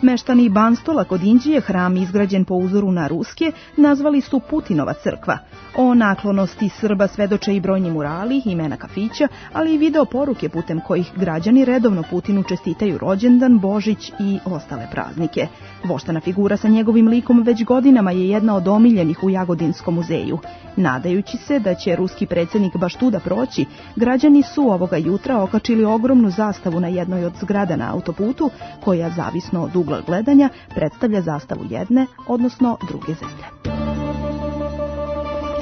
Meštani Banstola kod Inđije, hram izgrađen po uzoru na ruske, nazvali su Putinova crkva. O naklonosti Srba svedoče i brojni murali, imena kafića, ali i video poruke putem kojih građani redovno Putinu čestitaju rođendan, Božić i ostale praznike. Voštana figura sa njegovim likom već godinama je jedna od omiljenih u Jagodinskom muzeju. Nadajući se da će ruski predsjednik baš tuda proći, građani su ovoga jutra okačili ogromnu zastavu na jednoj od zgrada na autoputu, koja, zavisno od ugla gledanja, predstavlja zastavu jedne, odnosno druge zemlje.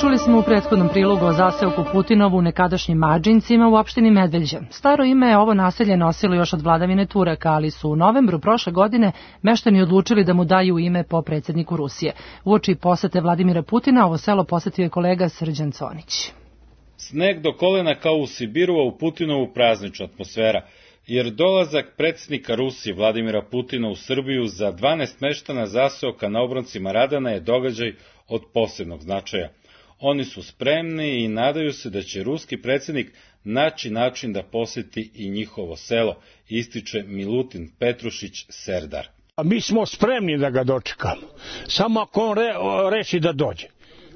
Čuli smo u prethodnom prilogu o zaseoku Putinovu u nekadašnjim Adžincima u opštini Medveđa. Staro ime je ovo naselje nosilo još od vladavine Turaka, ali su u novembru prošle godine meštani odlučili da mu daju ime po predsjedniku Rusije. Uoči posete Vladimira Putina ovo selo posetio je kolega Srđan Conić. Sneg do kolena kao u Sibiru, a u Putinovu praznična atmosfera, jer dolazak predsjednika Rusije Vladimira Putina u Srbiju za dvanaest meštana zaseoka na obroncima Radana je događaj od posebnog značaja. Oni su spremni i nadaju se da će ruski predsjednik naći način da posjeti i njihovo selo, ističe Milutin Petrušić Serdar. Mi smo spremni da ga dočekamo, samo ako on re, reši da dođe.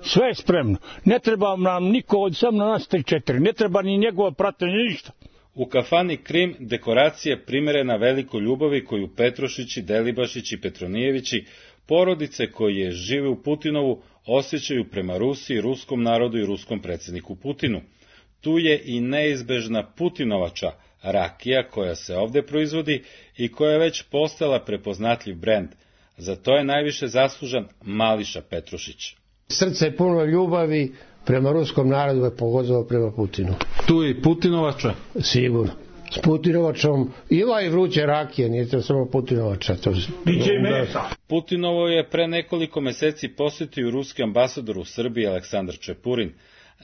Sve je spremno, ne treba nam niko od sam na nas tri četiri, ne treba ni njegova pratnja, ništa. U kafani Krim dekoracija primerena velikoj ljubavi koju Petrušići, Delibašić i Petronijevići, porodice koje žive u Putinovu, osjećaju prema Rusiji, ruskom narodu i ruskom predsjedniku Putinu. Tu je i neizbežna Putinovača, rakija koja se ovde proizvodi i koja je već postala prepoznatljiv brend. Za to je najviše zaslužan Mališa Petrušić. Srce je puno ljubavi prema ruskom narodu, je pogotovo prema Putinu. Tu je i Putinovača? Sigurno. S Putinovačom ima i vruće rakije, nije to samo Putinovača. To... Putinovo je pre nekoliko meseci posjetio ruski ambasador u Srbiji Aleksandar Čepurin.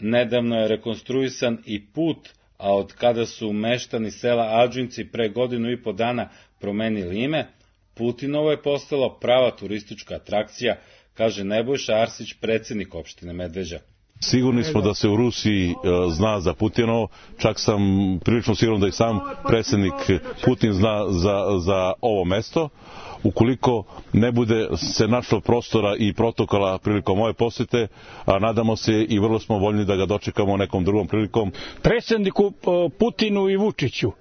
Nedavno je rekonstruisan i put, a od kada su meštani sela Adžinci pre godinu i po dana promenili ime, Putinovo je postalo prava turistička atrakcija, kaže Nebojša Arsić, predsjednik opštine Medveđa. Sigurni smo da se u Rusiji zna za Putinovo, čak sam prilično siguran da i sam predsjednik Putin zna za, za ovo mesto. Ukoliko ne bude se našlo prostora i protokola prilikom ove posjete, a nadamo se i vrlo smo voljni da ga dočekamo nekom drugom prilikom. Predsjedniku Putinu i Vučiću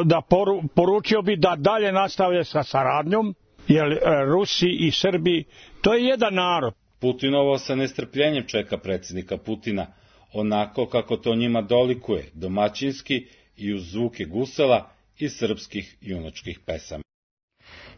da poru, poručio bi da dalje nastavlja sa saradnjom, jer Rusi i Srbi, to je jedan narod. Putinovo sa nestrpljenjem čeka predsjednika Putina, onako kako to njima dolikuje, domaćinski i uz zvuke gusala i srpskih junačkih pesama.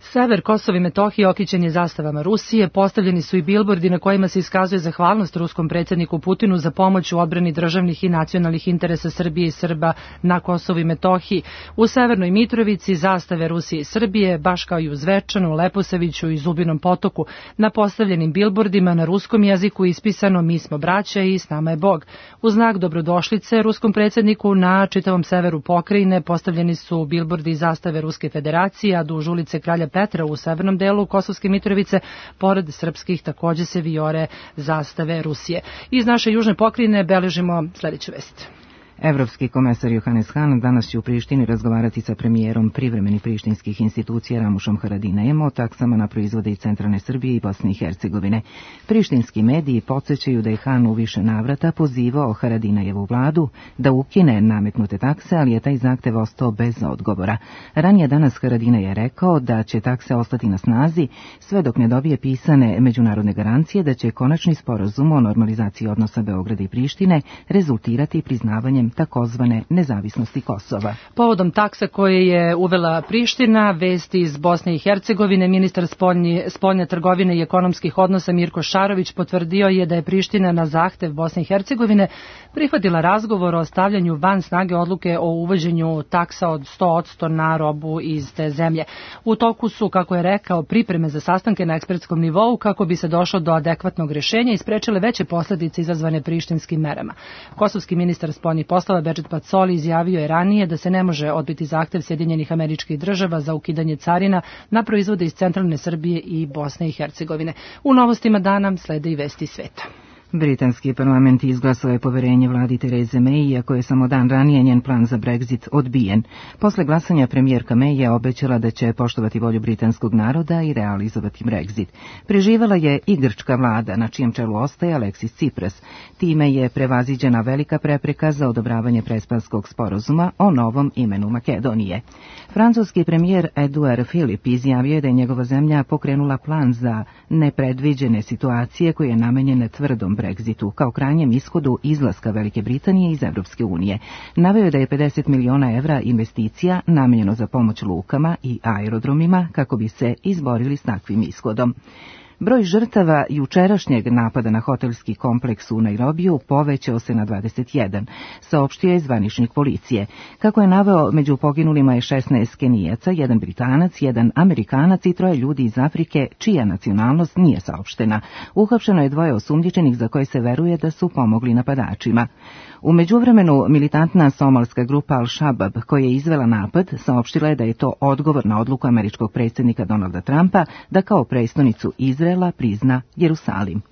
Sever Kosova i Metohije okićen je zastavama Rusije, postavljeni su i bilbordi na kojima se iskazuje zahvalnost ruskom predsjedniku Putinu za pomoć u odbrani državnih i nacionalnih interesa Srbije i Srba na Kosovu i Metohiji. U Severnoj Mitrovici zastave Rusije i Srbije, baš kao i u Zvečanu, Leposaviću i Zubinom Potoku. Na postavljenim bilbordima na ruskom jeziku ispisano "Mi smo braća i s nama je Bog". U znak dobrodošlice ruskom predsjedniku na čitavom severu pokrajine postavljeni su bilbordi i zastave Ruske federacije, a duž ulice Kralja Petra u severnom delu Kosovske Mitrovice, pored srpskih, takođe se vijore zastave Rusije. Iz naše južne pokrajine beležimo sledeću vest. Evropski komesar Johannes Hahn danas će u Prištini razgovarati sa premijerom privremenih prištinskih institucija Ramušom Haradinajem o taksama na proizvode iz centralne Srbije i Bosne i Hercegovine. Prištinski mediji podsjećaju da je Hahn u više navrata pozivao Haradinajevu vladu da ukine nametnute takse, ali je taj zahtev ostao bez odgovora. Ranije danas Haradinaj je rekao da će takse ostati na snazi sve dok ne dobije pisane međunarodne garancije da će konačni sporazum o normalizaciji odnosa Beograda i Prištine rezultirati priznavanjem takozvane nezavisnosti Kosova. Povodom taksa koje je uvela Priština, vesti iz Bosne i Hercegovine, ministar spoljni, spoljne trgovine i ekonomskih odnosa Mirko Šarović potvrdio je da je Priština na zahtev Bosne i Hercegovine prihvatila razgovor o stavljanju van snage odluke o uvođenju taksa od sto posto na robu iz te zemlje. U toku su, kako je rekao, pripreme za sastanke na ekspertskom nivou kako bi se došlo do adekvatnog rešenja i sprečile veće posledice izazvane prištinskim merama. Kosovski ministar spoljnih poslova Bedžet Pacoli izjavio je ranije da se ne može odbiti zahtev Sjedinjenih Američkih Država za ukidanje carina na proizvode iz centralne Srbije i Bosne i Hercegovine. U novostima dana slede i vesti sveta. Britanski parlament izglasao je poverenje vladi Tereze May, iako je samo dan ranije njen plan za Brexit odbijen. Posle glasanja premijerka May je obećala da će poštovati volju britanskog naroda i realizovati Brexit. Preživala je i grčka vlada, na čijem čelu ostaje Alexis Tsipras. Time je prevaziđena velika prepreka za odobravanje prespanskog sporazuma o novom imenu Makedonije. Francuski premijer Edouard Philippe izjavio je da je njegova zemlja pokrenula plan za nepredviđene situacije koje je namenjene tvrdom Brexitu kao krajnjem ishodu izlaska Velike Britanije iz Evropske unije. Naveo je da je pedeset miliona evra investicija namenjeno za pomoć lukama i aerodromima kako bi se izborili s takvim ishodom. Broj žrtava jučerašnjeg napada na hotelski kompleks u Nairobiju povećao se na dvadeset jedan, saopštio je zvaničnik policije. Kako je naveo, među poginulima je šesnaest Kenijaca, jedan Britanac, jedan Amerikanac i troje ljudi iz Afrike, čija nacionalnost nije saopštena. Uhapšeno je dvoje osumnjičenih za koje se veruje da su pomogli napadačima. U međuvremenu, militantna somalska grupa Al-Shabaab, koja je izvela napad, saopštila je da je to odgovor na odluku američkog predsjednika Donalda Trumpa da kao prestonicu Izraela prizna Jerusalim.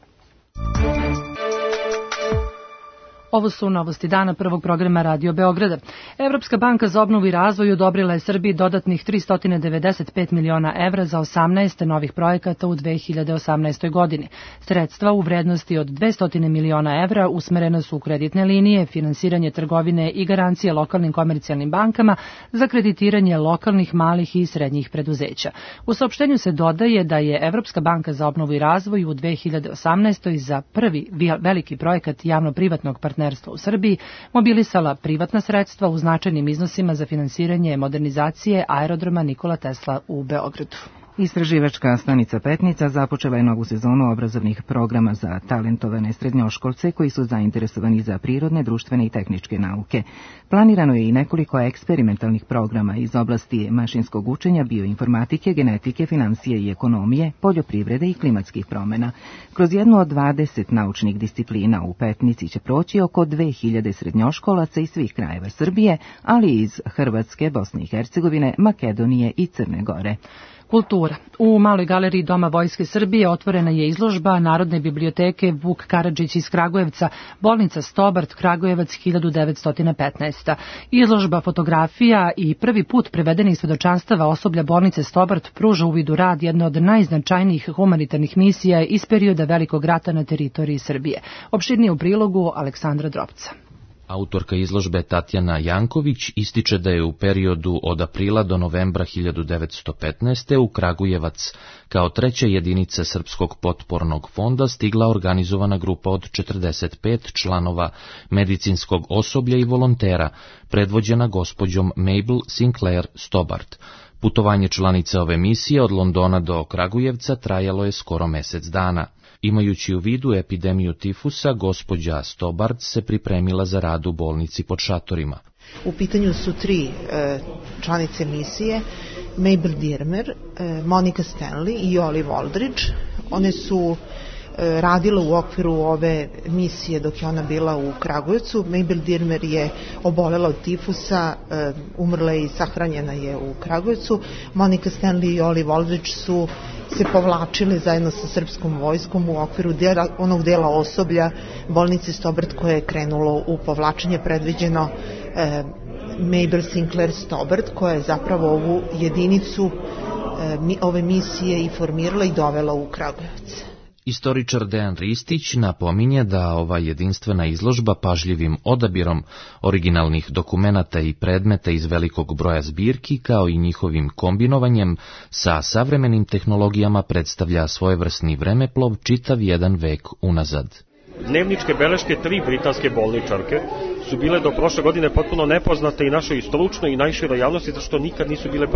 Ovo su novosti dana prvog programa Radio Beograda. Evropska banka za obnovu i razvoj odobrila je Srbiji dodatnih tristo devedeset pet miliona evra za osamnaest novih projekata u dve hiljade osamnaestoj godini. Sredstva u vrednosti od dvesta miliona evra usmerena su u kreditne linije, finansiranje trgovine i garancije lokalnim komercijalnim bankama za kreditiranje lokalnih, malih i srednjih preduzeća. U saopštenju se dodaje da je Evropska banka za obnovu i razvoj u dve hiljade osamnaestoj za prvi veliki projekat javno-privatnog partnerstva u Srbiji mobilisala privatna sredstva u značajnim iznosima za finansiranje modernizacije aerodroma Nikola Tesla u Beogradu. Istraživačka stanica Petnica započela je novu sezonu obrazovnih programa za talentovane srednjoškolce koji su zainteresovani za prirodne, društvene i tehničke nauke. Planirano je i nekoliko eksperimentalnih programa iz oblasti mašinskog učenja, bioinformatike, genetike, financije i ekonomije, poljoprivrede i klimatskih promjena. Kroz jednu od dvadeset naučnih disciplina u Petnici će proći oko dve hiljade srednjoškolaca iz svih krajeva Srbije, ali i iz Hrvatske, Bosne i Hercegovine, Makedonije i Crne Gore. Kultura. U Maloj galeriji Doma Vojske Srbije otvorena je izložba Narodne biblioteke Vuk Karadžić iz Kragujevca, bolnica Stobart, Kragujevac hiljadu devetsto petnaesta. Izložba fotografija i prvi put prevedenih svedočanstava osoblja bolnice Stobart pruža uvid u rad jedne od najznačajnijih humanitarnih misija iz perioda Velikog rata na teritoriji Srbije. Opširnije u prilogu Aleksandra Drobca. Autorka izložbe Tatjana Janković ističe da je u periodu od aprila do novembra hiljadu devetsto petnaeste. u Kragujevac kao treća jedinica Srpskog potpornog fonda stigla organizovana grupa od četrdeset pet članova medicinskog osoblja i volontera, predvođena gospođom Mabel Sinclair Stobart. Putovanje članice ove misije od Londona do Kragujevca trajalo je skoro mesec dana. Imajući u vidu epidemiju tifusa, gospođa Stobart se pripremila za rad u bolnici pod šatorima. U pitanju su tri e, članice misije, Mabel Dirmer, e, Monica Stanley i Olive Aldridge. One su e, radile u okviru ove misije dok je ona bila u Kragujevcu. Mabel Dirmer je obolela od tifusa, e, umrla i sahranjena je u Kragujevcu. Monica Stanley i Olive Aldridge su se povlačili zajedno sa srpskom vojskom u okviru dela, onog dela osoblja bolnice Stobart koje je krenulo u povlačenje, predviđeno e, Mabel Sinclair Stobart, koja je zapravo ovu jedinicu e, mi, ove misije i formirala i dovela u Kragujevac. Istoričar Dejan Ristić napominje da ova jedinstvena izložba pažljivim odabirom originalnih dokumenata i predmeta iz velikog broja zbirki, kao i njihovim kombinovanjem sa savremenim tehnologijama, predstavlja svojevrsni vremeplov čitav jedan vek unazad. Dnevničke beleške tri britanske bolničarke su bile do prošle godine potpuno nepoznate i našoj stručnoj i najširoj javnosti, zato što nikad nisu bile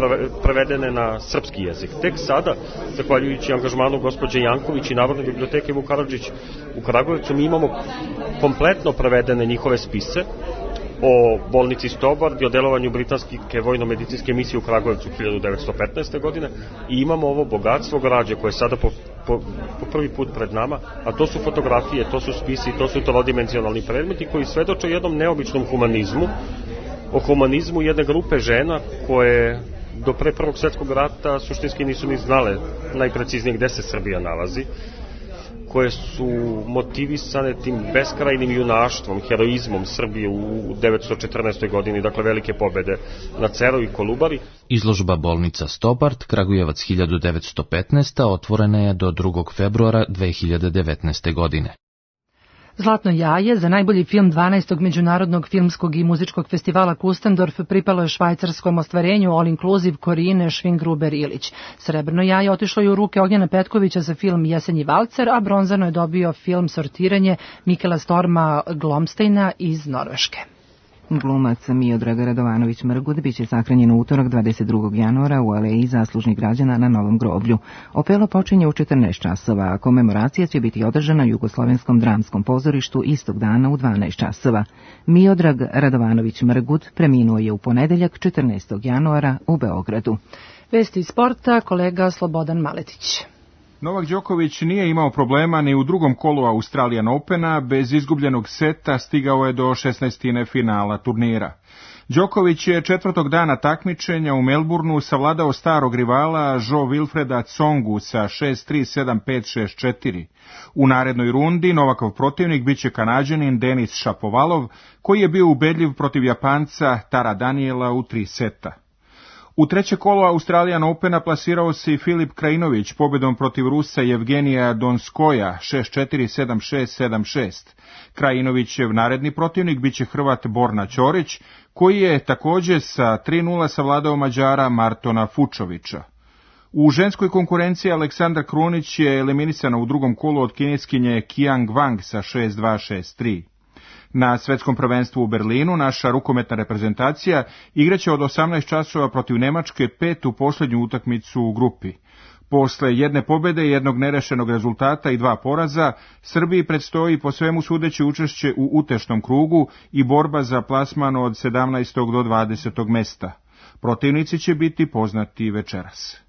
prevedene na srpski jezik. Tek sada, zahvaljujući angažmanu gospođe Janković i Narodne biblioteke Vuk Karadžić u Kragujevcu, mi imamo kompletno prevedene njihove spise o bolnici Stobart i o delovanju britanske vojno-medicinske misije u Kragujevcu hiljadu devetsto petnaeste. godine i imamo ovo bogatstvo građe koje je sada po, po, po prvi put pred nama, a to su fotografije, to su spisi, to su trodimenzionalni predmeti koji svedoče o jednom neobičnom humanizmu, o humanizmu jedne grupe žena koje do pre Prvog svjetskog rata suštinski nisu ni znale najpreciznije gde se Srbija nalazi, koje su motivisane tim beskrajnim junaštvom, heroizmom Srbije u devetsto četrnaestoj. godini, dakle velike pobede na Ceru i Kolubari. Izložba bolnica Stobart, Kragujevac hiljadu devetsto petnaesta. otvorena je do drugog februara dve hiljade devetnaeste. godine. Zlatno jaje za najbolji film dvanaestog Međunarodnog filmskog i muzičkog festivala Kustendorf pripalo je švajcarskom ostvarenju All Inclusive Korine Švingruber-Ilić. Srebrno jaje otišlo je u ruke Ognjena Petkovića za film Jesenji valcer, a bronzano je dobio film Sortiranje Mikela Storma Glomsteina iz Norveške. Glumac Miodrag Radovanović-Mrgud biće sahranjen u utorak dvadeset drugog januara u Aleji zaslužnih građana na Novom groblju. Opelo počinje u četrnaest časova, a komemoracija će biti održana u Jugoslovenskom dramskom pozorištu istog dana u dvanaest časova. Miodrag Radovanović-Mrgud preminuo je u ponedeljak četrnaestog januara u Beogradu. Vesti iz sporta, kolega Slobodan Maletić. Novak Đoković nije imao problema ni u drugom kolu Australian Opena, bez izgubljenog seta stigao je do šesnaestine finala turnira. Đoković je četvrtog dana takmičenja u Melbourneu savladao starog rivala Jo Wilfreda Tsongu sa šest tri, sedam pet, šest četiri. U narednoj rundi Novakov protivnik biće Kanađanin Denis Šapovalov, koji je bio ubedljiv protiv Japanca Tara Daniela u tri seta. U treće kolo Australian Opena plasirao se i Filip Krajinović pobjedom protiv Rusa Jevgenija Donskoja šest četiri, sedam šest, sedam šest. Krajinovićev naredni protivnik biće Hrvat Borna Ćorić, koji je također sa tri nula savladao Mađara Martona Fučovića. U ženskoj konkurenciji Aleksandra Krunić je eliminisana u drugom kolu od kineskinje Qiang Wang sa šest dva, šest tri. Na svetskom prvenstvu u Berlinu naša rukometna reprezentacija igraće od osamnaest časova protiv Nemačke petu posljednju utakmicu u grupi. Posle jedne pobjede, jednog nerešenog rezultata i dva poraza, Srbiji predstoji po svemu sudeći učešće u utešnom krugu i borba za plasman od sedamnaestog do dvadesetog mesta. Protivnici će biti poznati večeras.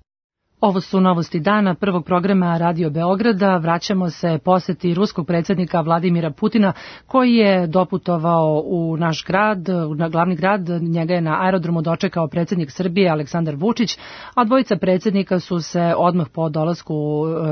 Ovo su novosti dana prvog programa Radio Beograda. Vraćamo se poseti ruskog predsjednika Vladimira Putina, koji je doputovao u naš grad, na glavni grad. Njega je na aerodromu dočekao predsjednik Srbije Aleksandar Vučić, a dvojica predsjednika su se odmah po dolasku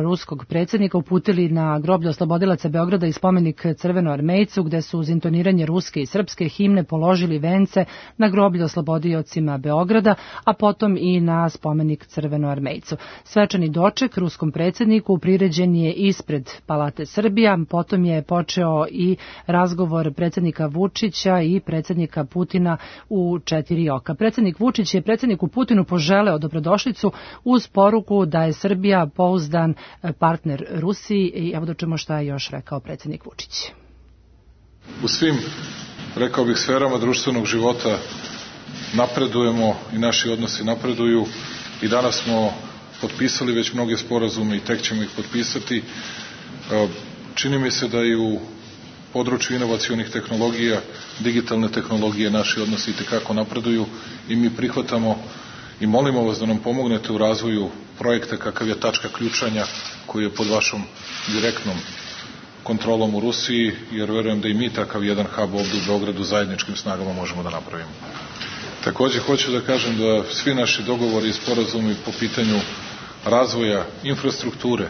ruskog predsjednika uputili na groblje oslobodilaca Beograda i spomenik Crvenoarmejcu, gde su uz intoniranje ruske i srpske himne položili vence na groblje oslobodiocima Beograda, a potom i na spomenik Crvenoarmejcu. Svečani doček ruskom predsjedniku priređen je ispred Palate Srbija, potom je počeo i razgovor predsjednika Vučića i predsjednika Putina u četiri oka. Predsjednik Vučić je predsjedniku Putinu poželeo dobrodošlicu uz poruku da je Srbija pouzdan partner Rusiji i evo da čujemo šta je još rekao predsjednik Vučić. U svim, rekao bih, sferama društvenog života napredujemo i naši odnosi napreduju. I danas smo potpisali već mnoge sporazume i tek ćemo ih potpisati. Čini mi se da i u području inovacionih tehnologija, digitalne tehnologije naši odnosi itekako napreduju i mi prihvatamo i molimo vas da nam pomognete u razvoju projekta kakav je tačka ključanja koji je pod vašom direktnom kontrolom u Rusiji, jer verujem da i mi takav jedan hub ovdje u Beogradu zajedničkim snagama možemo da napravimo. Takođe hoću da kažem da svi naši dogovori i sporazumi po pitanju razvoja infrastrukture,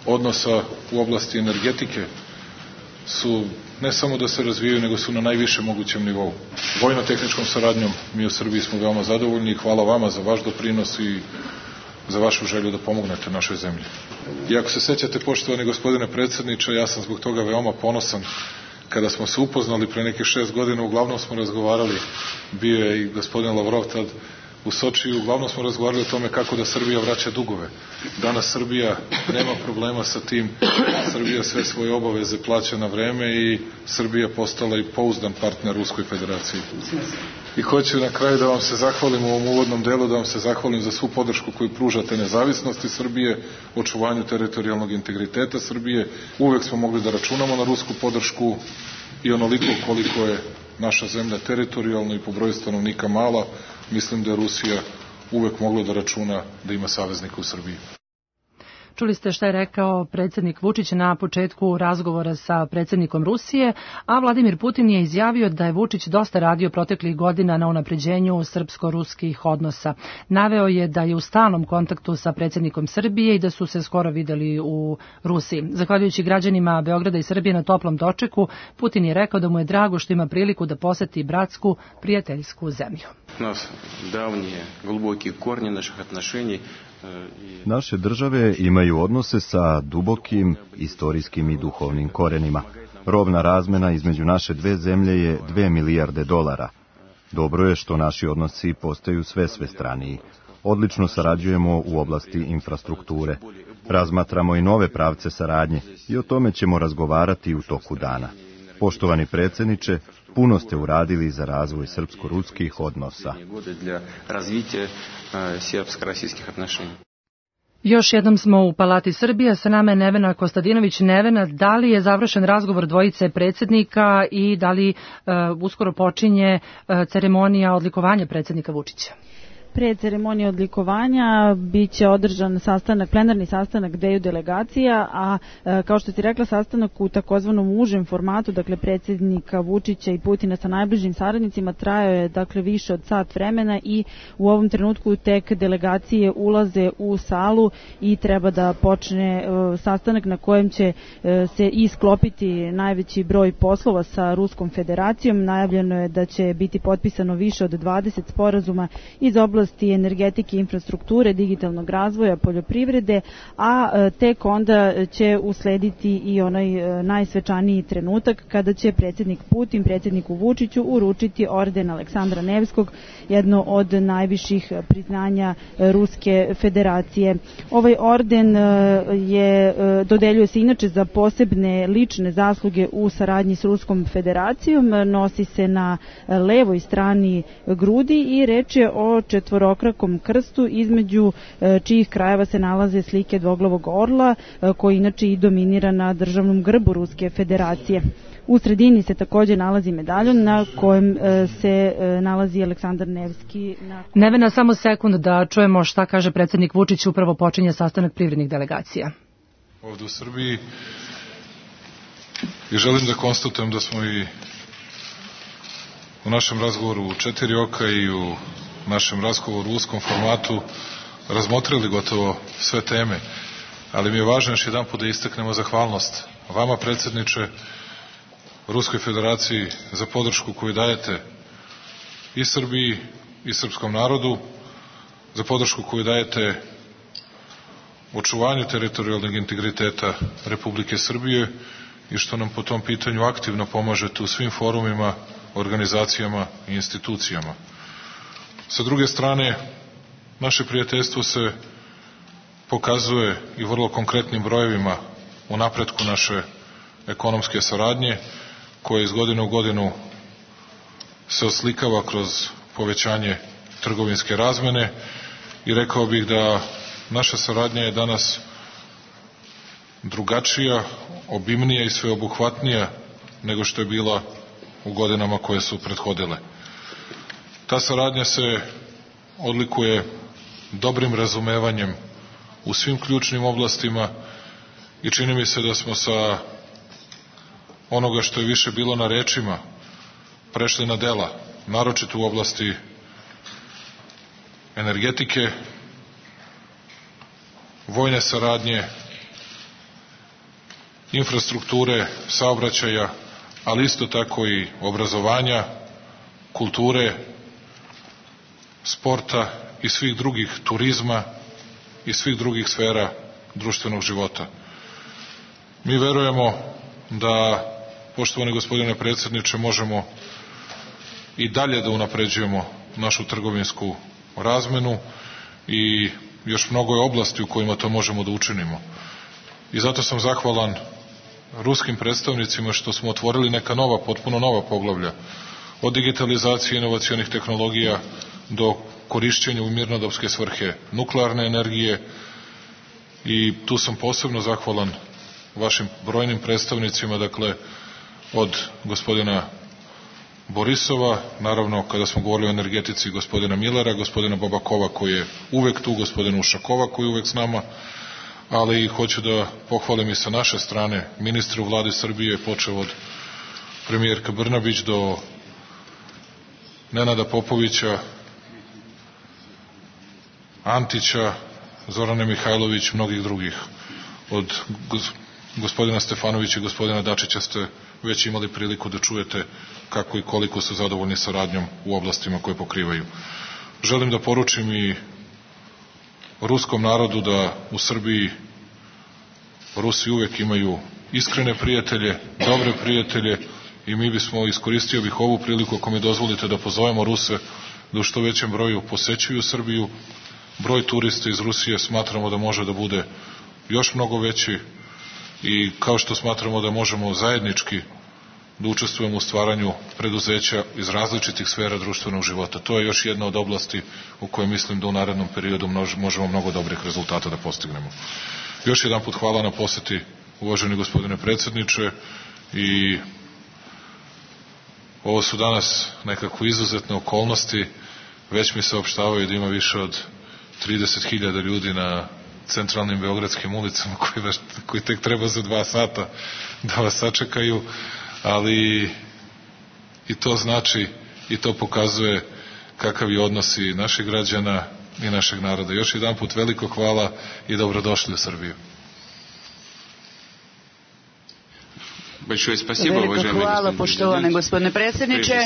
odnosa u oblasti energetike su ne samo da se razvijaju, nego su na najvišem mogućem nivou. Vojno-tehničkom saradnjom mi u Srbiji smo veoma zadovoljni i hvala vama za vaš doprinos i za vašu želju da pomognete našoj zemlji. I ako se sećate, poštovani gospodine predsjedniče, ja sam zbog toga veoma ponosan. Kada smo se upoznali pre nekih šest godina, uglavnom smo razgovarali, bio je i gospodin Lavrov tad u Sočiju, uglavnom smo razgovarali o tome kako da Srbija vraća dugove. Danas Srbija nema problema sa tim, Srbija sve svoje obaveze plaća na vreme i Srbija postala i pouzdan partner Ruskoj federaciji. I hoću na kraju da vam se zahvalim u ovom uvodnom delu, da vam se zahvalim za svu podršku koju pružate nezavisnosti Srbije, očuvanju teritorijalnog integriteta Srbije. Uvek smo mogli da računamo na rusku podršku i onoliko koliko je naša zemlja teritorijalno i po broju stanovnika mala, mislim da je Rusija uvek mogla da računa da ima saveznika u Srbiji. Čuli ste šta je rekao predsjednik Vučić na početku razgovora sa predsjednikom Rusije, a Vladimir Putin je izjavio da je Vučić dosta radio proteklih godina na unapređenju srpsko-ruskih odnosa. Naveo je da je u stalnom kontaktu sa predsjednikom Srbije i da su se skoro videli u Rusiji. Zahvaljujući građanima Beograda i Srbije na toplom dočeku, Putin je rekao da mu je drago što ima priliku da poseti bratsku, prijateljsku zemlju. Nas davnije, глубокие корни naših отношений. Naše države imaju odnose sa dubokim istorijskim i duhovnim korenima. Robna razmena između naše dve zemlje je dve milijarde dolara. Dobro je što naši odnosi postaju sve svestraniji. Odlično sarađujemo u oblasti infrastrukture. Razmatramo i nove pravce saradnje i o tome ćemo razgovarati u toku dana. Poštovani predsjedniče, puno ste uradili za razvoj srpsko-ruskih odnosa. Još jednom smo u Palati Srbija, sa nama je Nevena Kostadinović. Nevena, da li je završen razgovor dvojice predsjednika i da li uh, uskoro počinje uh, ceremonija odlikovanja predsjednika Vučića? Pre ceremonije odlikovanja biće održan sastanak, plenarni sastanak dveju delegacija, a e, kao što ti rekla, sastanak u takozvanom užem formatu, dakle predsjednika Vučića i Putina sa najbližim saradnicima, trajao je dakle više od sat vremena i u ovom trenutku tek delegacije ulaze u salu i treba da počne e, sastanak na kojem će e, se isklopiti najveći broj poslova sa Ruskom federacijom. Najavljeno je da će biti potpisano više od dvadeset sporazuma iz oblasti energetike, infrastrukture, digitalnog razvoja, poljoprivrede, a tek onda će uslediti i onaj najsvečaniji trenutak kada će predsjednik Putin predsjedniku Vučiću uručiti orden Aleksandra Nevskog, jedno od najviših priznanja Ruske federacije. Ovaj orden je dodeljuje se inače za posebne lične zasluge u saradnji s Ruskom federacijom, nosi se na levoj strani grudi i reč je o četvorokrakom krstu između čijih krajeva se nalaze slike dvoglavog orla koji inače i dominira na državnom grbu Ruske federacije. U sredini se također nalazi medaljon na kojem se nalazi Aleksandar Nevski. Na... Nevena, samo sekund da čujemo šta kaže predsjednik Vučić, upravo počinje sastanak privrednih delegacija. Ovdje u Srbiji i želim da konstatujem da smo i u našem razgovoru u četiri oka i u našem razgovoru u uskom formatu razmotrili gotovo sve teme, ali mi je važno još jedan put da istaknemo zahvalnost vama, predsjedniče, Ruskoj federaciji za podršku koju dajete i Srbiji i srpskom narodu, za podršku koju dajete očuvanju teritorijalnog integriteta Republike Srbije i što nam po tom pitanju aktivno pomažete u svim forumima, organizacijama i institucijama. Sa druge strane, naše prijateljstvo se pokazuje i vrlo konkretnim brojevima u napretku naše ekonomske saradnje, koje iz godine u godinu se oslikava kroz povećanje trgovinske razmene i rekao bih da naša saradnja je danas drugačija, obimnija i sveobuhvatnija nego što je bila u godinama koje su prethodile. Ta saradnja se odlikuje dobrim razumevanjem u svim ključnim oblastima i čini mi se da smo sa onoga što je više bilo na rečima prešli na dela, naročito u oblasti energetike, vojne saradnje, infrastrukture, saobraćaja, ali isto tako i obrazovanja, kulture, sporta i svih drugih, turizma i svih drugih sfera društvenog života. Mi verujemo da, poštovani gospodine predsjedniče, možemo i dalje da unapređujemo našu trgovinsku razmenu i još mnogo je oblasti u kojima to možemo da učinimo. I zato sam zahvalan ruskim predstavnicima što smo otvorili neka nova, potpuno nova poglavlja, od digitalizacije inovacionih tehnologija do korišćenja u mirnodopske svrhe nuklearne energije, i tu sam posebno zahvalan vašim brojnim predstavnicima, dakle od gospodina Borisova, naravno kada smo govorili o energetici, gospodina Milera, gospodina Babakova koji je uvek tu, gospodina Ušakova koji je uvek s nama, ali hoću da pohvalim i sa naše strane ministre u vladi Srbije, počeo od premijerka Brnabić do Nenada Popovića, Antića, Zorane Mihajlović, mnogih drugih. Od gospodina Stefanovića i gospodina Dačića ste već imali priliku da čujete kako i koliko su zadovoljni saradnjom u oblastima koje pokrivaju. Želim da poručim i ruskom narodu da u Srbiji Rusi uvek imaju iskrene prijatelje, dobre prijatelje, i mi bismo, iskoristio bih ovu priliku, ako mi dozvolite, da pozovemo Ruse da u što većem broju posećuju Srbiju. Broj turista iz Rusije smatramo da može da bude još mnogo veći, i kao što smatramo da možemo zajednički da učestvujemo u stvaranju preduzeća iz različitih sfera društvenog života. To je još jedna od oblasti u kojoj mislim da u narednom periodu možemo mnogo dobrih rezultata da postignemo. Još jedan put hvala na poseti, uvaženi gospodine predsjedniče, i ovo su danas nekako izuzetne okolnosti. Već mi se opštavaju da ima više od trideset hiljada ljudi na centralnim beogradskim ulicama koji, vaš, koji tek treba za dva sata da vas sačekaju, ali i to znači i to pokazuje kakav je odnos i naših građana i našeg naroda. Još jedan put veliko hvala i dobrodošli u Srbiju. Veliko hvala, poštovani gospodine predsjedniče.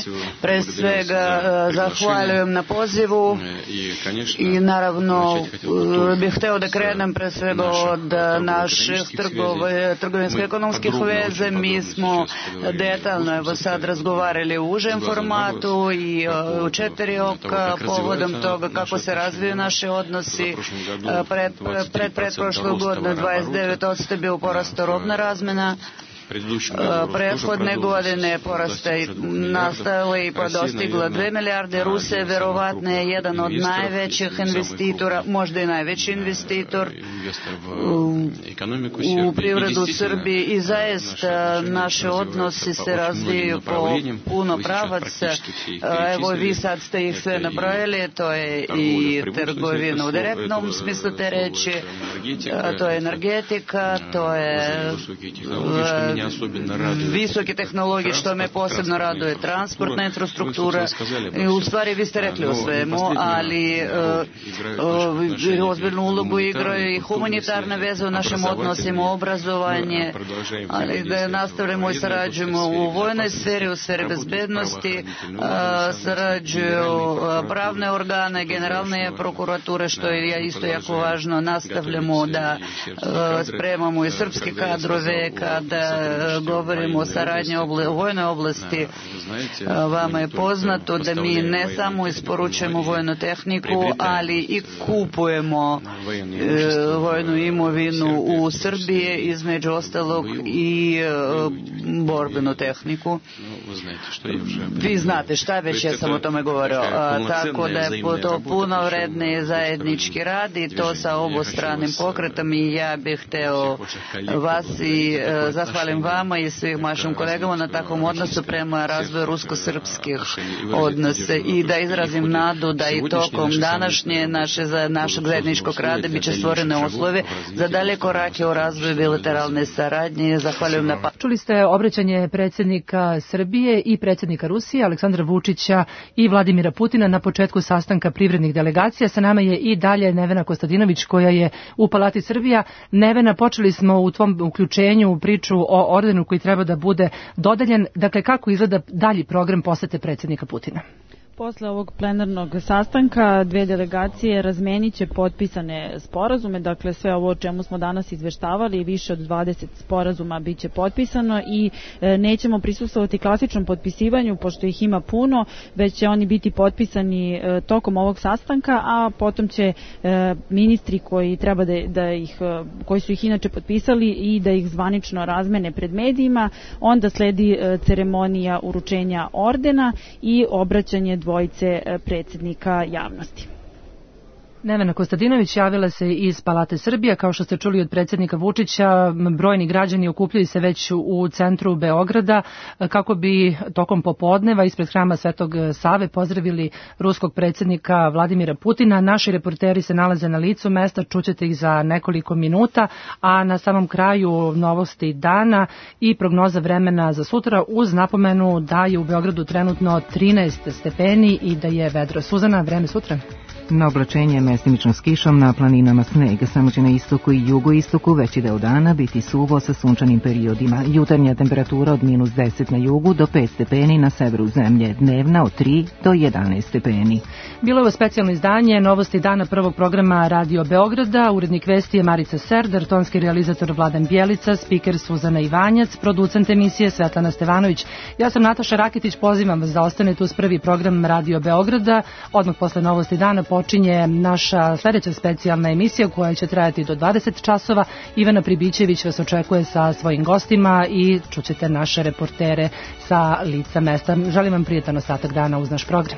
Pre svega zahvaljujem na pozivu i naravno bih hteo da krenem pre svega od naših trgovinsko-ekonomskih veze. Mi smo detaljno evo sad razgovarali u užem formatu i u četiri oka povodom toga kako se razviju naši odnosi. Pred, pred pretprošlu godinu dvadeset devet posto je bio porast robna razmena. Prethodne godine porasta je nastavila i dostigla dve milijarde. Rusija verovatno je jedan od najvećih investitora, možda i najveći investitor u privredu Srbije, i zaista naši odnosi se razvijaju po puno pravaca. Evo vi sad ste ih sve nabrojili, to je i trgovina u direktnom smislu te reči, to je energetika, to je visoke tehnologije, što me posebno raduje, transportna infrastruktura. U stvari vi ste rekli o svemu, ali ozbiljnu ulogu igraju i humanitarne veze u našim odnosima, obrazovanje, ali da nastavljamo i sarađujemo u vojnoj sferi, u sferi bezbednosti, sarađuju pravne organe, generalne prokurature, što je isto jako važno. Nastavljamo da spremamo i srpske kadrove kada govorimo o saradnji u vojnoj oblasti, vama je poznato da mi ne samo isporučujemo vojnu tehniku, ali i kupujemo vojnu imovinu u Srbiji, između ostalog i borbenu tehniku. Vi znate šta već, ja sam o tome govorio. Tako da je to puno vredni zajednički rad i to sa obostranim pokretom i ja bih hteo vas i zahvalim vama i svim vašim kolegama na takvom odnosu prema razvoju rusko-srpskih odnosa i da izrazim nadu da i tokom današnje naše, našeg zajedničkog rada biće stvorene uslove za dalje korake u razvoju bilateralne saradnje. Zahvaljujem na pa... Čuli ste obraćanje predsjednika Srbije i predsjednika Rusije Aleksandra Vučića i Vladimira Putina na početku sastanka privrednih delegacija. Sa nama je i dalje Nevena Kostadinović koja je u Palati Srbija. Nevena, počeli smo u tvom uključenju priču o ordenu koji treba da bude dodeljen. Dakle, kako izgleda dalji program posete predsjednika Putina? Posle ovog plenarnog sastanka dve delegacije razmenit će potpisane sporazume, dakle sve ovo o čemu smo danas izveštavali, više od dvadeset sporazuma bit će potpisano i e, nećemo prisustvovati klasičnom potpisivanju pošto ih ima puno, već će oni biti potpisani e, tokom ovog sastanka, a potom će e, ministri koji treba da, da ih, koji su ih inače potpisali i da ih zvanično razmene pred medijima, onda sledi e, ceremonija uručenja ordena i obraćanje dvojice predsjednika javnosti. Nevena Kostadinović javila se iz Palate Srbije. Kao što ste čuli od predsjednika Vučića, brojni građani okupljaju se već u centru Beograda kako bi tokom popodneva ispred hrama Svetog Save pozdravili ruskog predsjednika Vladimira Putina. Naši reporteri se nalaze na licu mesta, čućete ih za nekoliko minuta, a na samom kraju novosti dana i prognoza vremena za sutra uz napomenu da je u Beogradu trenutno trinaest stepeni i da je vedro. Suzana, vreme sutra? Na oblačenje mestimično s kišom, na planinama sneg, samo će na istoku i jugoistoku veći deo dana biti suvo sa sunčanim periodima. Jutarnja temperatura od minus deset na jugu do pet stepeni na severu zemlje, dnevna od tri do jedanaest stepeni. Bilo je ovo specijalno izdanje novosti dana prvog programa Radio Beograda. Urednik vesti je Marica Serdar, tonski realizator Vladan Bjelica, spiker Suzana Ivanjac, producent emisije Svetlana Stevanović. Ja sam Nataša Rakitić, pozivam vas da ostanete uz prvi program Radio Beograda. Odmah posle novosti dana počinje naša sljedeća specijalna emisija koja će trajati do dvadeset časova. Ivana Pribićević vas očekuje sa svojim gostima i čućete naše reportere sa lica mesta. Želim vam prijetan ostatak dana uz naš program.